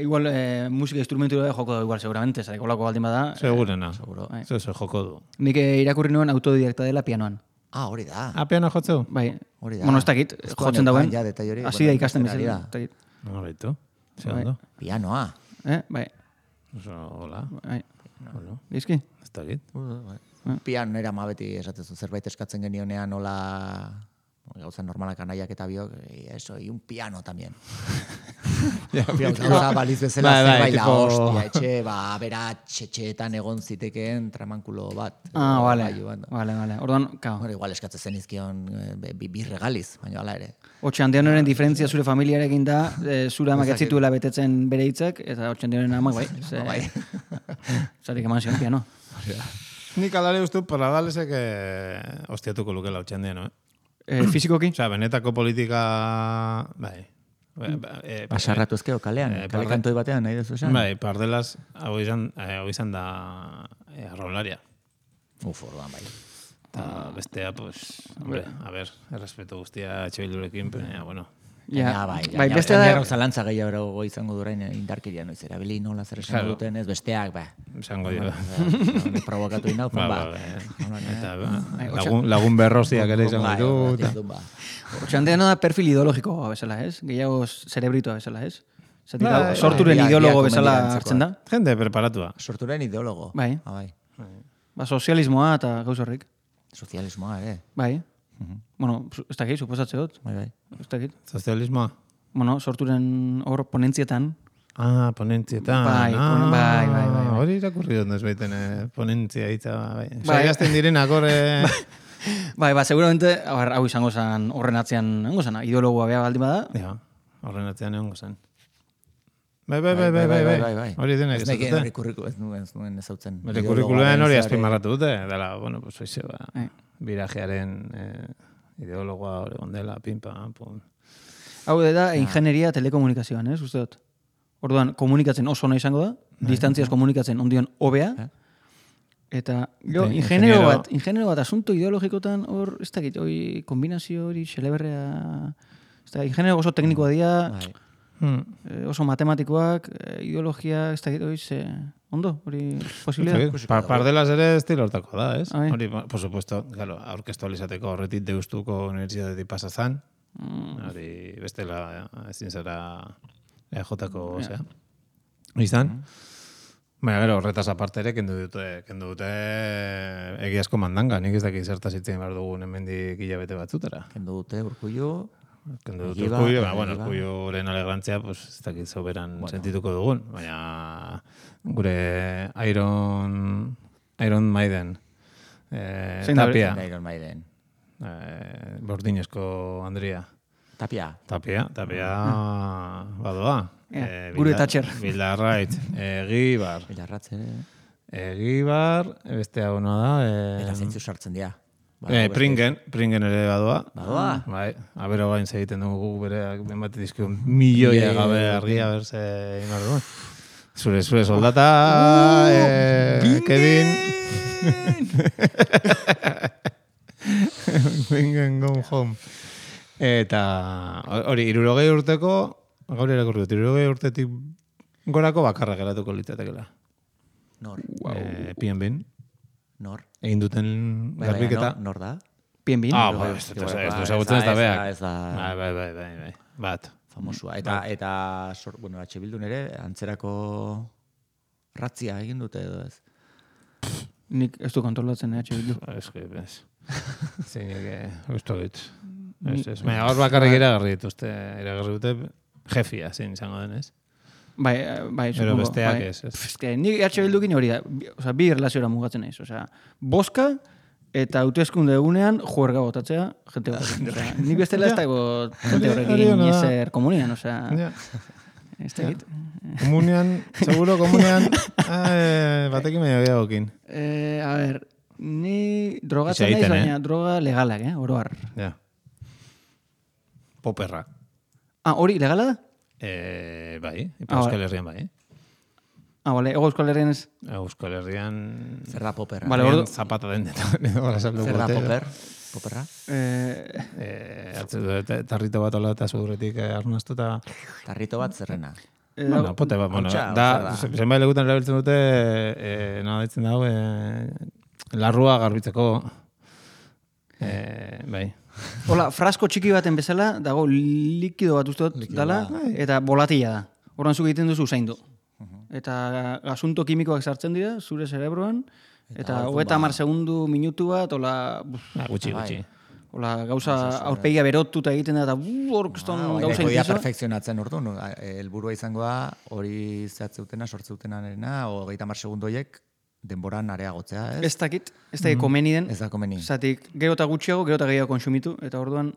Igual, musika instrumentu joko da, igual, seguramente, zareko lako baldin bada. Segurena, zo joko du. Nik irakurri nuen autodidakta dela pianoan. Hori da. Piano jotzeu? Bai. Hori da. Bueno, ez dakit, jotzen dauen. Hasi da ikasten bezala. Horritu, zegondo. Pianoa. Bai. Hola. Bai. Gizki? Ez dakit. Piano nera ma beti esatezu zerbait eskatzen genionean nola gauza normalak anaiak eta biok, eso, y un piano también. Gauza baliz bezala zerbait la hostia, etxe, bera txetxeetan egon zitekeen tramankulo bat. Vale. Orduan, kao. Igual eskatzen zen izkion bi regaliz, baina hala ere. Otxandianoren diferentzia zure familiarekin da, zure amak etzituela betetzen bere hitzak, eta Otxandianoren amak, bai. Zarik eman zion piano. Nik alare ustu Pradalesek ostiatuko lukela Otxandiano, Fizikoki? Osea, benetako politika... Bai. Basarratu ezkeo kalean, kale kantoi batean, nahi dezu esan? Bai, Pardelas, hau izan da arrolaria. Orduan, bai. Eta bestea, pues, hombre, a ver, errespetu guztia txoilurekin, pero, bueno... Bai, bestea da... Zalantza gehiago izango durain indarkeria noiz erabili nola zer esan duten ez, besteak, ba. Esango dira. Provokatu inau, ba. Eta lagun berroziak ere izango ditu. Otxandiano da perfil ideologiko bezala, ez? Gehiago cerebritoa bezala, ez? Sorturen ideologo bezala hartzen da? Jende preparatua. Sorturen ideologo. Bai. Sozialismoa eta gauz horrik. Sozialismoa, Bai. Bueno, ez dakit, suposatze dut. Bai. Ez dakit. Sozialismoa? Bueno, sorturen hor ponentzietan. Ponentzietan. Bai. Hori irakurri dut ez baiten ponentzia hitza. Saiazten direnak hor... Bai, seguramente, hau izango zen horren atzean, nengo zen, ideologoa beha baldin bada. Ja, horren atzean nengo zen. Bai. Hori denek ez dute. Ez nuen ezautzen. Bere kurrikuloan hori azpimarratu dute. Dela, bueno, pues oize, birajearen ideologoa hori gondela, pimpa, pum. Hau da, ingenieria telekomunikazioan, ez, uste dut? Orduan, komunikatzen oso ona izango da, distantziaz komunikatzen ondion hobea, eta, ingeniero bat asunto ideologikotan hor, ez dakit, hori kombinazio hori, xeleberrea, ez da, ingeniero oso teknikoa dira, oso matematikoak, ideologia, ez dakit, hori, ondo, hori posibilidad. Pardelas ere estilo hortako da, ez? Hori, por supuesto, claro, aurkeztualizateko horretit deustuko unibertsitatetik pasazan, hori bestela ezin zara EJ-ko, osea. izan. Baina, gero, horretaz aparte ere, kendu dute egiazko mandanga. Nik ez dakit zertaz itzen behar dugun hemendik hilabete batzutara. Kendu dute Urkullu. Kendu dute Urkullu, bueno, Urkulluren alegrantzia, pues, ez dakit soberan sentituko dugun. Baina, gure Iron Maiden, Tapia. Iron Maiden. Bordinezko Andria. Tapia. Badoa. Gure Thatcher. Bildarraitz. Egibar. Bilarratze. Egibar, beste hau da. Eta zeintzu sartzen dira. Pringen ere badoa. Badoa? Bai, abero gain egiten dugu bereak benbat dizkio milioia gabe argia berze inor duen. Zure soldata, Kevin. Bingen go home. Eta hori, 60 urteko, gaur irakurri dut, 60 urtetik gorako bakarra geratuko litzatekeela. Nor? PNB. Nor? Egin duten garbiketa. Nor da? PNB. Ez du ezagutzen ez da beak. Ez da... Bai. Bat. Famosua. Eta H. Bildun ere, antzerako ratzia egin dute edo ez. Nik ez du kontrolatzen, H. Bildu. Ez. Zeinek, usto dit. Baina hor bakarrik iragarri dute jefia, zein izango denez. Bai, pero besteak ez. Nik H. Bildukin hori da, bi erlaziora mugatzen naiz. Boska eta hauteskunde egunean juerga botatzea jente batekin. Nik bestela ez dago jente horrekin ezer komunian, ez da egit. Seguro komunian, batekin medio gehiagokin. A ver, ni drogatzen naiz, baina droga legalak, oroar. Ja. Poperra. Hori, legala da? Bai, Euskal Herrian bai. Bale, Euskal Herrian ez? Euskal Herrian... Zer da poperra? Vale, zapata den deta. Zer da poperra? Tarrito bat ola eta zudurretik arnaztu eta... Tarrito bat zerrena? Bueno, pote bat, da, zenbait legutan erabiltzen dute, nada ditzen dago, larrua garbitzeko, bai. Hola, frasko txiki baten bezala, dago likido bat uste dut dala, eta volatila da. Horan zuk egiten duzu zaindu. Eta asunto kimikoak sartzen dira, zure cerebroan, eta 30 segundu minutu bat, hola... Gutxi. Hola, gauza aurpegia berotuta egiten da, eta orkeston gauza intizo. Perfekzionatzen ordu, helburua izangoa hori zehatzeutena, sortzeutenarena, 30 segundoiek denboran areagotzea, ez? Ez dakit komeni den. Ez da komeni. Zatik, gero eta gutxiago, gero eta gehiago konsumitu, eta orduan...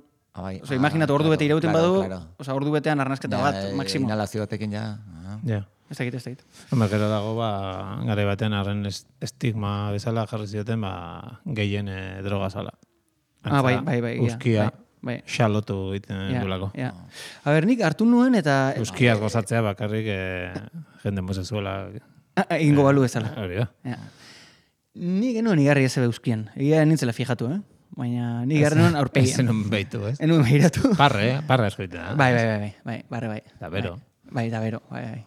Imaginatu, ordu bete irauten badu, ordu betean arnazketa bat, maksimo. Inhalazio batekin ja. Ez dakit. Gero dago, gare batean arren estigma bezala jarri zioten, gehien droga zala. Bai. Euskia, xalotu egiten duelako. A ber, nik hartu nuen eta... Euskiaz gozatzea bakarrik jende mosezuela... Egingo balu ezala. Hori da. Nik enuen igarri ez ebe euskian. Egia nintzela fijatu, baina nik igarri nuen aurpegian. Ez enuen behitu, ez? Enuen behiratu. Parre eskoitea. Bai, barre bai. Da bero. Bai, da bero, bai.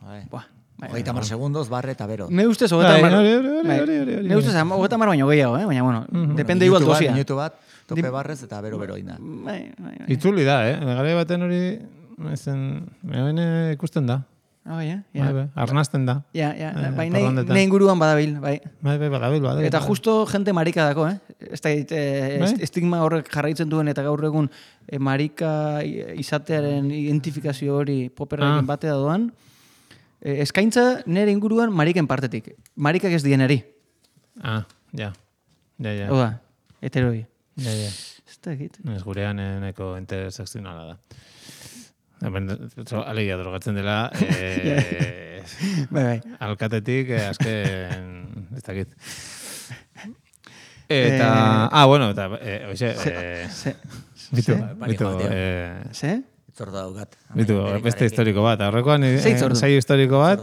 30 segundos, barre eta bero. Ne ustez, 30 Ne ustez, 30 baino gehiago, baina, bueno, depende igual dosia. Minutu bat, tope barrez eta bero ina. Bai. Itzuli da, gare baten hori, ikusten da. Bai, arnazten da. Bai, nahi inguruan badabil, bai. Bai, badabil. Eta justo jente marika dako, Ez da, estigma horrek jarraitzen duen eta gaur egun marika izatearen identifikazio hori poperrekin batea doan, eskaintza nire inguruan mariken partetik. Marikak ez dieneri. Ja. Oda, heteroi. Ja. Ez da egit. Ez gurean eneko interseccionala da. Alegia drogatzen dela, bai. alkatetik, azken, ez dakit. Eta, bueno, eta, oixe, bitu, ze? Itzordu daugat. Bitu, beste historiko bat, aurrekoan, sei historiko bat.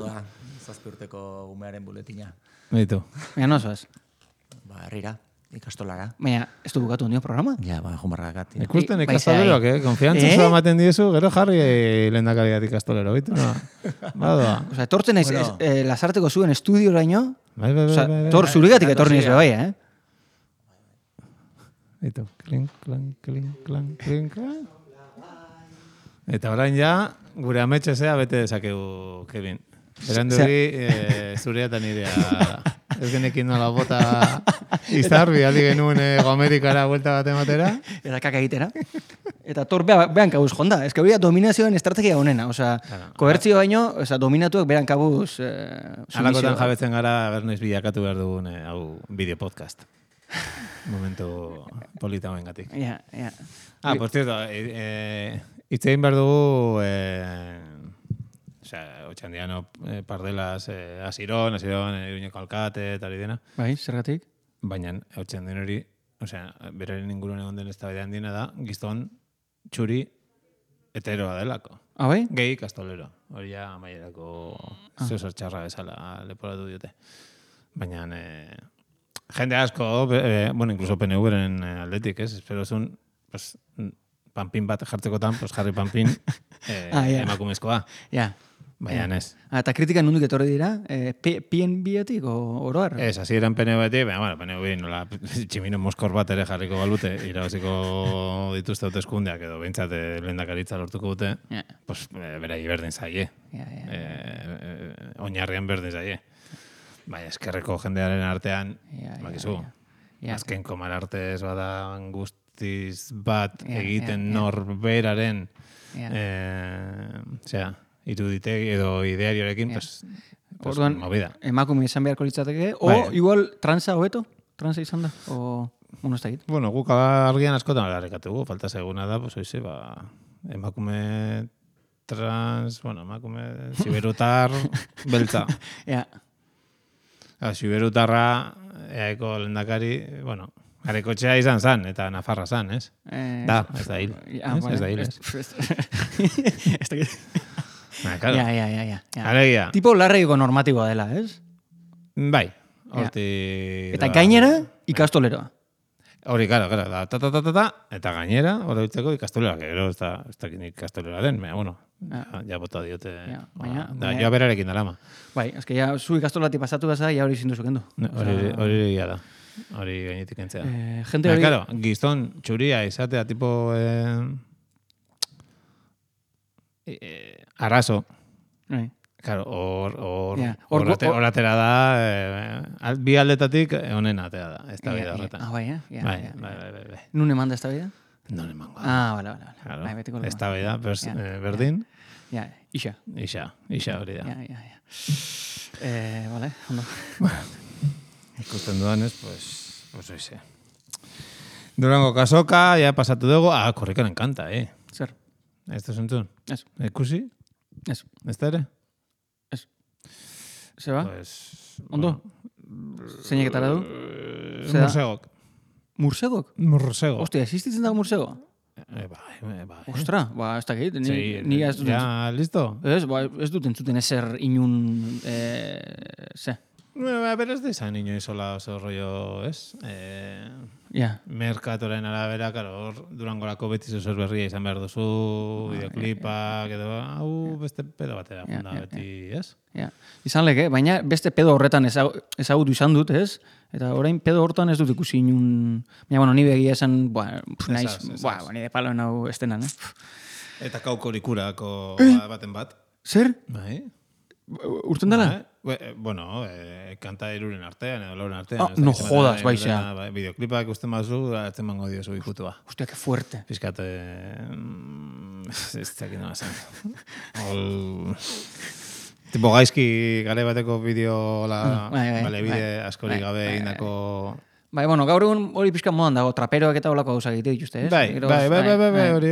Zazpi urteko umearen buletina. Bitu. Baina nozoaz. Herrira. Ikastolara. Baina, ez du bukatu nio programa? Ja, jumarragakat. Ikusten ikastoleroak, konfiantza zua ematen diezu, gero jarri lehendakariat ikastolero, bitu, no? Badoa. Osa, etortzen ez, Lasarteko zuen estudioraino, bai. zuregatik etorni ez bebai, Bitu, klink. Eta orain ja, gure ametxezea bete dezakegu, Kevin. Berandu hori, zurea eta nirea. Ez genekin nola bota izarbi, aldi genuen Amerikara vuelta bat ematera. Eta kaka egitera. Eta tor behan kabuz jonda. Ez que hori dominazioen estrategia honena. Osa, kohertzio baino, dominatuak behan kabuz Alakotan jabetzen gara, bernoiz bilakatu behar dugun hau bideo podcast. Momentu polita hoen gatik. Ja. Por cierto, itzein behar dugu, otxandiano pardelas asiron, iruñeko alkate, eta hori dena. Bai, zergatik? Baina, otxandian hori, beraren inguruan egon den eztabaida handiena da, gizton txuri heteroa delako. Bai? Gehi kastolero. Hori ja amaierako zuzor txarra bezala leporatu diote. Baina, jende asko, incluso PNV-ren aldetik, espero zun, panpin bat jartzekotan, jarri panpin emakumezkoa. Ja. Baina ez. Eta kritika nondik etorri dira? PNB-etik oroar? Ez, hasi eran PNB-etik, baina PNB nola tximino moskor bat ere jarriko balute, irabaziko dituzte hauteskundeak edo behintzat lehendakaritza lortuko dute, pues berai berdin zaie. Oinarrian berdin zaie. Baina eskerreko jendearen artean, bakizu, azken komar artez bada guztiz bat egiten norberaren, iruditegi edo ideariorekin, orduan, movida. Emakume izan beharko litzateke, o igual transa hobeto? Transa izan da? O, bueno, ez da egit? Bueno, guk argian askotan agarrekatugu, falta seguna da, pues oize, emakume trans, emakume siberutar beltza. Ja. Siberutarra, eaeko lehendakari, Garekotxea izan zan, eta Nafarra zan, ez? Da, ez da hil. Ez da hil, ez. Ez da hil. Claro. Ja. Alegia. Tipo larreiko normatiboa dela, ez? Bai. Horti... Eta gainera, ikastoleroa. Hori, claro, da, eta gainera, hori utzeko ikastolera, gero ez da ikastolera den, ja bota diote. Joa berarekin dalama. Bai, ezke ja, zu ikastolati pasatu gaza, ja hori zindu zukendu. Hori egia da. Hori gainetik entzea. Gente hori... Claro, gizton txuria izatea tipo... arazo. Claro, hor atera da... bi aldetatik honen atea da. Ez da bida horretan. Bai. Nun eman da ez da bida? Non emango. Vale. Ez da bida, berdin. Ja, Ixa hori da. Ja. Vale, ondo. Ikusten dudanez, pues oize. Durango kasoka, ja pasatu dugu, korrikan enkanta, Zer? Ez da zentzun? Ez. Ikusi? Ez. Ez da ere? Ez. Zeba? Pues... Ondo? Zeineketara du? Mursegok. Mursegok? Mursego. Ostia, existitzen dago mursego? Bai. Ostra, ez da gehit. Ja, listo? Ez dut entzuten ezer inun... Ze? Beraz da izan inoiz sola oso rollo, ez? Merkatoren arabera, hor Durangorako beti zuzor berria izan behar duzu, videoklipak, edo, hau beste pedo batera funda beti, ez? Izan leke, baina beste pedo horretan ezagutu izan dut, ez? Eta orain pedo horretan ez dut ikusi inun... Baina, ni begia esan, naiz, ni de palo nau estenan, Eta kaukorikurako baten bat. Zer? Bai. Urten dela? Kanta iruren artean, edo lauren artean. No jodas, baixea. Videoklipak usten bazu, atzen mango diozu ikutua. Hostia, que fuerte. Fiskat, ez tekin nola zen. Tipo gaizki gare bateko bideo, bide askorik gabe indako... Bai, gaur egun hori pixka modan dago, traperoak eta holako gauzak egite dituzte, ez? Bai, hori.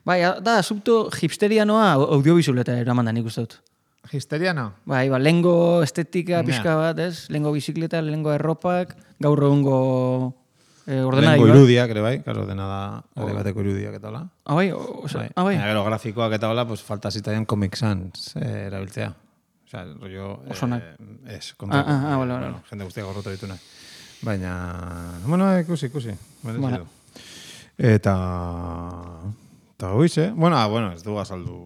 Bai, da, subto hipsterianoa audiovisualeta eraman da nik uste dut. Hipsteriano? Bai, lengo estetika pixka bat, ez? Lengo bizikleta, lengo erropak, gaur egungo ordenadioak. Lengo irudiak, ere bai, karo, dena da, gare bateko irudiak eta hola. Bai? Gero grafikoak eta hola, falta zitaian Comic Sans erabiltzea. Osa, rollo... Osonak. Ez, kontrako. Jende guztiak gorroto ditunak. Baina, ikusi. Eta hoize, ez du azaldu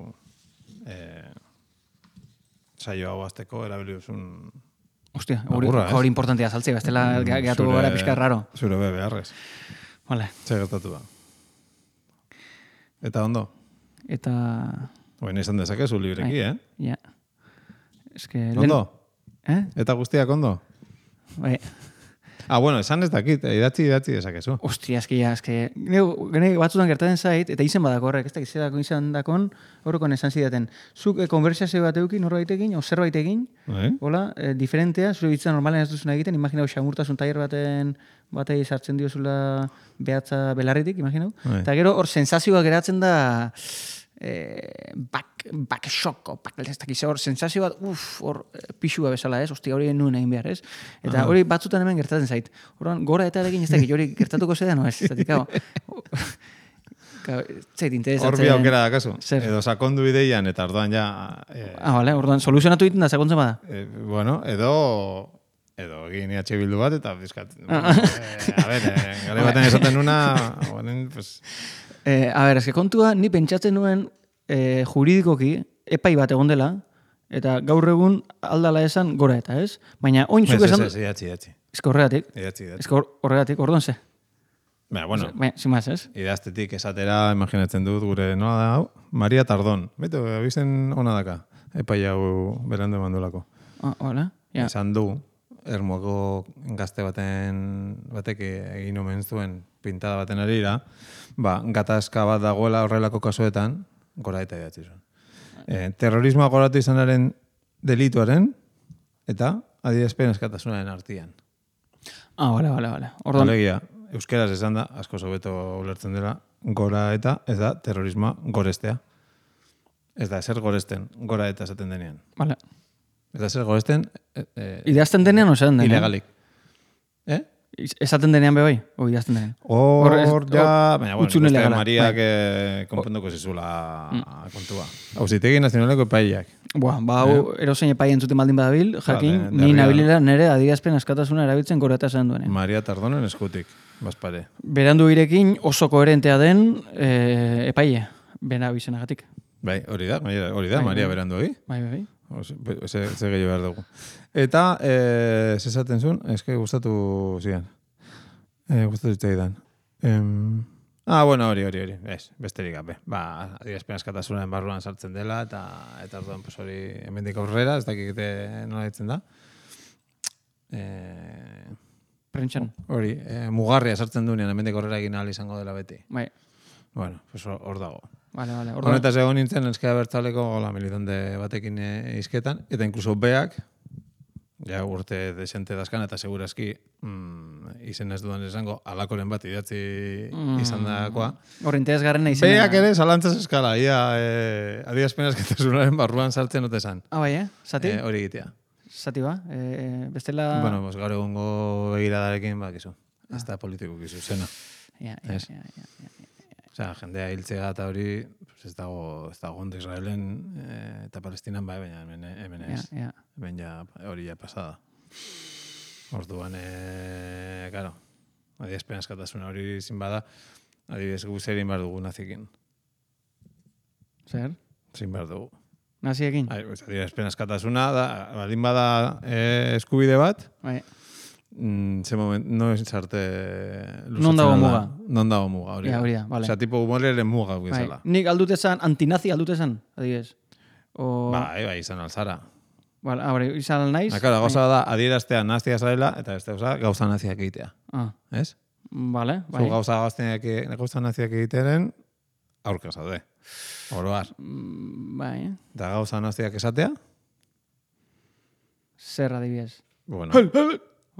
saio hau azteko erabilizun... Hostia, hori importantia azaltzea, bestela gehatu gara pixka raro. Zure beharrez. Vale. Zer gertatu da. Eta ondo? Eta... Izan dezakezu libreki, Ja. Ondo? Eta guztiak ondo? Bai. Bueno, esan ez dakit, idatzi dezakezu. Ostia, gene batzutan gertatzen zait, eta izen badako horrek, ez da, izan izan dakon, horrekon esan zidaten. Zuk konversazio bat eukin, norbaitekin, o zerbait egin, hola, diferentea, zure bitza normalen ez duzuna egiten, imaginau, xamurtasun tailer batei sartzen diozula behatza belarritik, imaginau. Eta gero, hor, sensazioa geratzen da, back shock, ez dakiz, hor, sensazio bat, hor, pixua bezala, ez? Ostia, hori nuen egin behar, ez? Eta hori batzutan hemen gertatzen zait. Horan, gora eta egin ez dakit, hori gertatuko zedan, no ez? Zatik, zait, interesatzen. Hor bi aukera da, kasu? Edo sakondu ideian, eta orduan ja... Bale, orduan, soluzionatu egiten da, sakontzen bada? Bueno, edo egin bildu bat, eta bizkat... Gare baten esaten nuna... pues... kontua, ni pentsatzen nuen juridikoki, epai bat egon dela, eta gaur egun aldala esan gora eta, ez? Baina, oin zuk esan... Idatzi. Ez horregatik. Horregatik, orduan ze? Bueno, zimaz, ez? Idaztetik esatera, imaginatzen dut, gure nola da, hau? Maria Tardon. Beto, abizen ona daka, epai hau berandu emandulako. Hola, ja. Esan du, Ermuako gazte batek egin omen zuen pintada baten arira, gatazka bat dagoela horrelako kasuetan, gora eta idatzi zuen. Terrorismoa goratu izanaren delituaren eta adierazpen askatasunaren artean. Bale. Alegia, euskeraz esan da, asko sobeto ulertzen dela, gora eta ez da terrorismoa gorestea. Ez da, ezer goresten, gora eta esaten denean. Bale. Ez da, ezer goresten... Idazten denean o esaten denean? Ilegalik. Esaten denean bebai? O idazten denean? Hor ja... Baina, bueno, Mariak konponduko zizula kontua. Auzitegi nazionaleko epaileak. Erozein epai entzuten baldin badabil, jakin, ni nabilila nere adierazpen askatasuna erabiltzen gora eta esan duenen. Maria Tardonen eskutik, bazpare. Berandu irekin oso koherentea den epaile, bena bizenagatik. Bai, hori da, Maria Berandu egi. Bai. Ze gehiago behar dugu. Eta, zezaten zuen, eske gustatu zian. Gustatu zitzaidan. Bueno, hori. Besterik gabe. Adierazpen askatasunaren barruan sartzen dela, eta orduan, pues hori, hemendik aurrera, ez dakikete nola ditzen da. Prentxan. Hori, mugarria sartzen duenean, hemendik aurrera egin ahal izango dela beti. Bai. Bueno, pues hor dago. Vale. Honetaz egon nintzen, Euskara Abertzaleko militante batekin izketan, eta inkluso beak, ja urte desente dazkan, eta segurazki izen ez dudan esango, alakoren bat idatzi izan dakoa. Horreinteaz garrena izena. Beak ere, zalantzaz eskala, adierazpen askatasunaren barruan sartzen ote zan. Bai, zati? Hori egitea. Zati ba, bestela... Bueno, gaur egongo begiradarekin, bakizu. Ez da politiko kizu, zena. Ja. Osea, jendea hiltzea eta hori ez dago ondo Israelen eta Palestinan baina hemen ez. Hemen ja hori ja pasada. Orduan, claro, adierazpen askatasuna hori zin bada, adibidez guzerin behar dugu nazikin. Zer? Zin behar dugu. Naziekin? Adierazpen askatasuna, baldin bada eskubide bat, bai. Ze moment, no esarte... Non dago muga. Non dago muga, hori. Hori da, vale. Osea, tipo humoreren muga guizela. Nik aldutezan, antinazi aldutezan, adibidez. Bai, izan alzara. Hori, izan naiz. Akara, gauza da, adieraztea nazia zarela, eta ez da, gauza naziak egitea. Ez? Vale, bai. Zu gauza naziak egitearen, aurka zaude. Oroar. Bai. Da gauza naziak esatea? Zer adibidez. Bueno.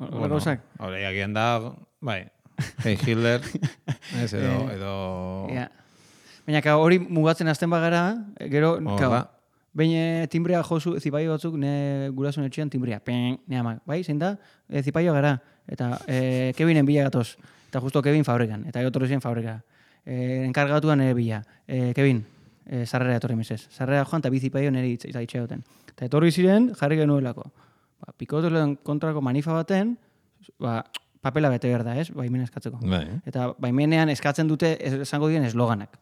Hori, agian da, bai, Hitler, ez, edo... Baina, hori mugatzen azten bagara, gero, behin timbrea jozu, zipaio batzuk, gurasun etxean timbrea, ne amak, bai, zein da, zipaio gara, eta Kevinen bila gatoz, eta justo Kevin fabrikan, eta egotorri zen fabrika. Enkargatuan bila, Kevin, sarrera etorri mesez. Sarrera joan, eta bi zipaio nire itxea duten. Eta etorri ziren, jarri genuelako. Pikotolen kontrako manifa baten, papela bete behar da, ez? Baimena eskatzeko. Eta baimenean eskatzen dute esango dien esloganak.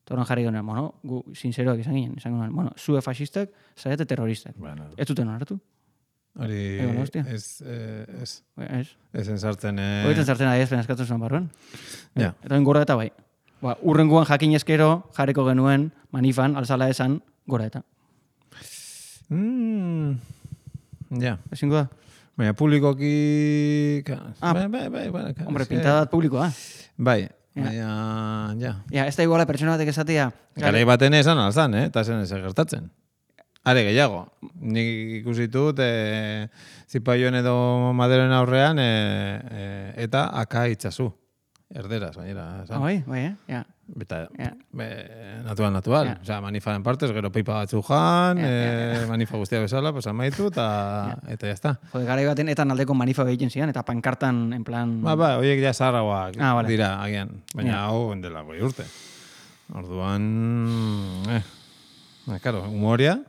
Toran jarri genuen, gu sinceroak izan ginen. Esan genuen, zue fascistak, zaiate terroristak. Ez duten onartu. Hori, ez enzartzen... Hori enzartzen adierazpen eskatzen zuen barruan. Eta gora eta bai. Urrenguan jakin eskero jarriko genuen manifan, alzala esan, gora eta. Ja. Ezingo da? Baina publikoki... Bai. Hombre, pintadat publikoa. Bai, baina, ja. Ja, ez da iguala pertsona batek esatea. Garai baten esan alzan, eta zen ez gertatzen. Are gehiago, nik ikusi dut zipaioen edo maderoen aurrean eta aka itzazu. Erderaz, gainera. Bai, ja. Eta, natural. Ja. Osea, manifaren partez, gero peipa batzu jan, manifa guztia bezala, pues amaitu, eta jazta. Jode, garai baten etan aldeko manifa egiten zian, eta pankartan, en plan... Ba, horiek ja zaharragoak vale. dira, agian. Baina hau, dela goi urte. Orduan, claro, humoria,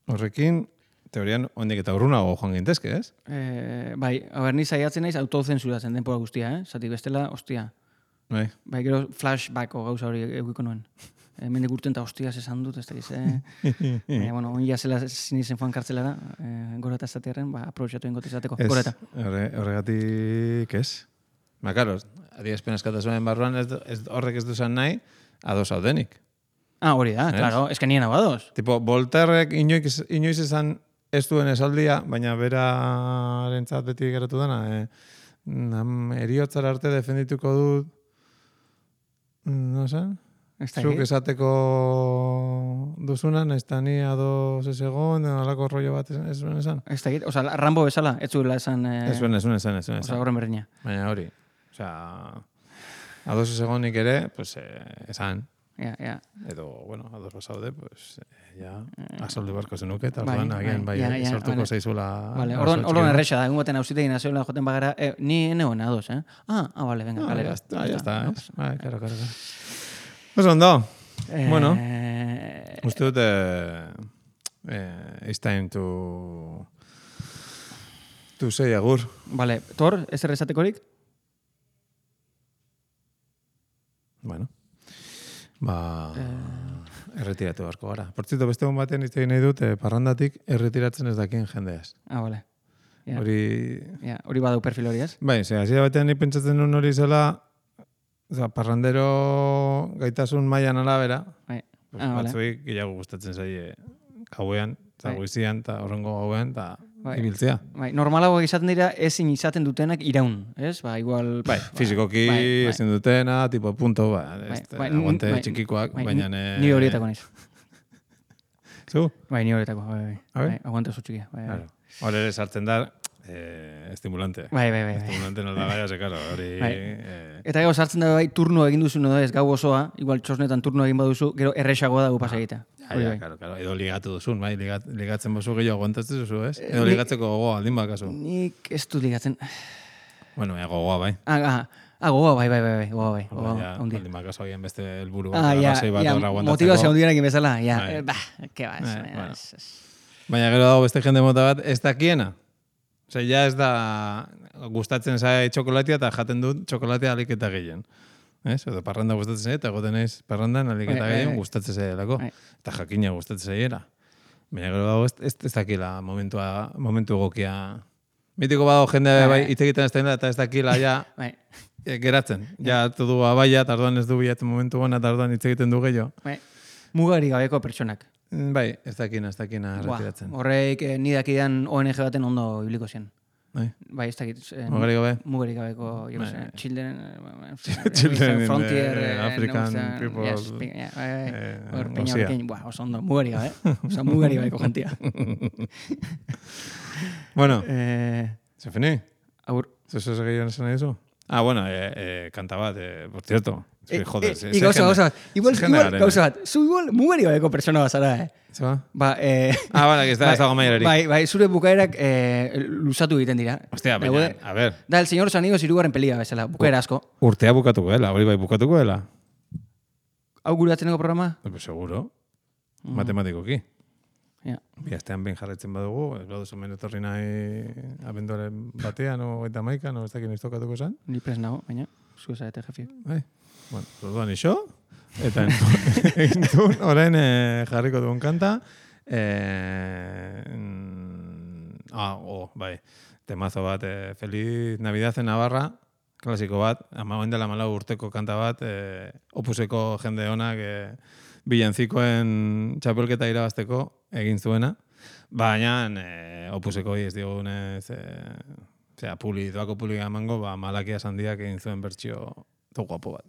horrekin, teorian, ondik eta urrunago joan gintezke, ez? Bai, ni saiatzen naiz autozensuratzen denpora guztia, Zati bestela, ostia. Bai, Gero flashbacko gauza hori egiko nuen. Mendik urten eta hostiaz esan dut, ez da gize. Bueno, onja zela zinizen joan kartzelara, gora eta zatearen, aprobetxatu ingot izateko. Gora eta. Horregatik, ez? Ba, karo, adierazpen eskatasunen barruan horrek ez duzan nahi, ados haudenik. Hori da, claro, ez que nien hau ados. Tipo, Voltairek inoiz esan ez duen esaldia, baina berarentzat beti geratu dena, eriotzara arte defendituko dut, no zen? Zuk esateko duzunan, ez da ni ados ez egon, alako rollo bat ez duen esan? Ez da git, oza, Rambo bezala, ez zuela esan... Ez duen esan. Oza, horren berdina. Baina hori, oza, ados ez egonik ere, pues, esan. Ja. Edo, bueno, ados basaude, pues, ja, asoldu barko zenuke, eta orduan, agian, sortuko zaizula... Vale, orduan erresa da, egun baten hausitegin nazioela joten bagara, ni neon ados, vale, venga, kalera. Ya está, ez? Bai, claro. Pues ondo, bueno, uste dut, it's time to say agur. Vale, Tor, ez errezatekorik? Bueno. Erretiratu barko gara. Portzito, beste hon batean izte nahi dut, parrandatik erretiratzen ez dakien jendeaz. Vale. Hori badau perfil hori, ez? Bai, hasiera batean ni pentsatzen nuen hori zela, parrandero gaitasun mailan arabera, batzuik gehiago gustatzen zaie gauean, eta goizian, eta horrengo gauean, eta ibiltzea. Normalago izaten dira ezin izaten dutenak iraun, ez? Igual... Fizikoki ezin dutena, tipo punto, aguante txikikoak, baina... Ni horietako naiz. Zu? Ni horietako, aguante oso txikia. Hor ere sartzen da, estimulante. Bai. Estimulante nolda gaia, zekaro, hori... Eta gero sartzen da turno egin duzu, no ez, gau osoa, igual txosnetan turno egin baduzu, gero erresagoa dago pasa egitea. Claro. Edo ligatu duzun, bai, ligatzen bozu gehiago aguantatzen duzu, ez? Edo ligatzeko gogoa, aldin bakazu. Nik ez dut ligatzen. Bueno, gogoa, bai. Gogoa, bai. Aldin bakazu agian beste helburu bat, arrazoi bat horra aguantatzeko. Motivazio handienak bezala, ke ba, baina gero dago beste jende mota bat, ez dakiena. Osea, ja ez da gustatzen zai txokolatea eta jaten dut txokolatea alik eta gehien. Ez? Edo parranda gustatzen zai, eta goten naiz parrandan alik eta gehien gustatzen zaielako. Eta jakina gustatzen zaiela. Baina gero dago ez dakila momentu egokia. Mitiko badago jende bai hitz egiten ez da eta ez dakila ja geratzen. Ja du abaia, eta orduan ez du bilatzen momentu gana, eta orduan hitz egiten du gehiago. Mugari gabeko pertsonak. Bai, ez dakina retiratzen. Horreik ni dakidan ONG baten ondo ibiliko zen. Bai, ez dakit. Mugarik gabeko, Children Frontier African People. Peña pequeño, oso ondo, mugarik gabe. Oso mugarik gabeko jentia. Bueno, ¿se finí? Agur. ¿Eso se gehiago esan nahi duzu? Bueno, kanta bat, por cierto. Joder, gauza bat. Igual, gauza bat. Zu igual mugari gabeko persona bazara, Zeba? Vale, que ez dago mailarik. Bai, zure bukaerak luzatu egiten dira. Hostia, baina, a ver. Da, El Señor Sanigos irugarren pelia, bezala, bukaera asko. Urtea bukatuko dela, hori bai bukatuko dela. Hau gure atzeneko programa? Seguro. Matematikoki. Biaztean behin jarretzen badugu, ez baduzu menetorri nahi abenduaren batean, o eta maikan, o ez dakin iztokatuko zan. Ni pres nago, baina, zu ezarete jefiek. Bai. Bueno, orduan iso, eta entzun, orain jarriko duen kanta. Bai, temazo bat, Feliz Navidad en Navarra, klasiko bat, amagoen dela 4 urteko kanta bat, opuseko jende honak, bilantzikoen txapelketa irabazteko egin zuena. Baina, opuseko ez diogunez, doako publika emango, Malakia Sandiak egin zuen bertsio to guapo bat.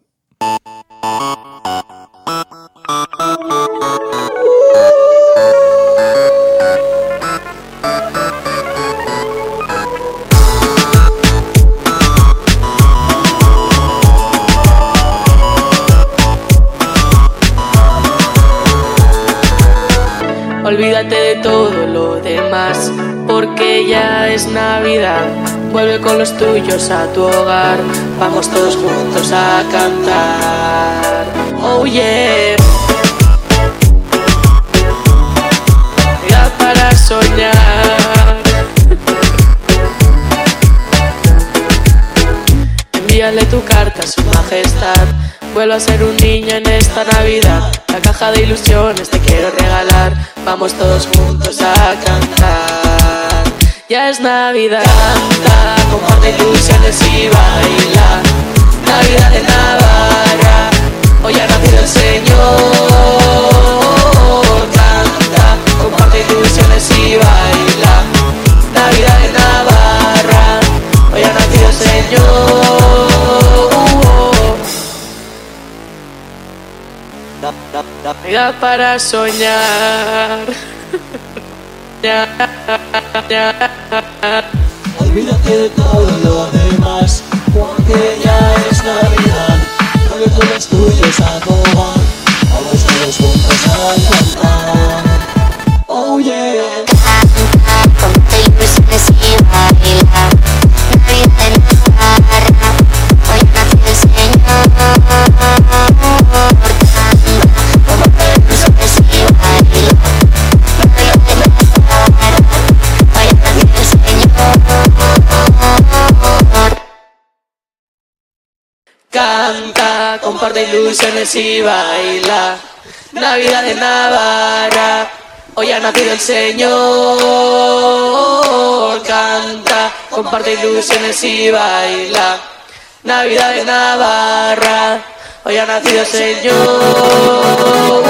Olvídate de todo lo demás, porque ya es Navidad. Vuelve con los tuyos a tu hogar, vamos todos juntos a cantar. Oh yeah. Ya para soñar. Envíale tu carta a su majestad. Vuelvo a ser un niño en esta Navidad. La caja de ilusiones te quiero regalar. Vamos todos juntos a cantar. Ya es Navidad. Canta, comparte ilusiones y baila. Navidad de Navarra. Hoy ha nacido el Señor. Canta, comparte ilusiones y baila. Navidad de Navarra. Hoy ha nacido el Señor. Navidad para soñar. Olvídate de todo lo demás, porque ya es Navidad. Vuelve con los tuyos a tocar, vamos todos juntos a cantar. Oh yeah. Comparte ilusiones y baila. Navidad en Navarra, hoy ha nacido el Señor. Canta, comparte ilusiones y baila. Navidad de Navarra, hoy ha nacido el Señor. Canta, comparte ilusiones y baila. Navidad de Navarra, hoy ha nacido el Señor.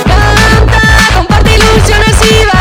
Canta, comparte ilusiones y baila.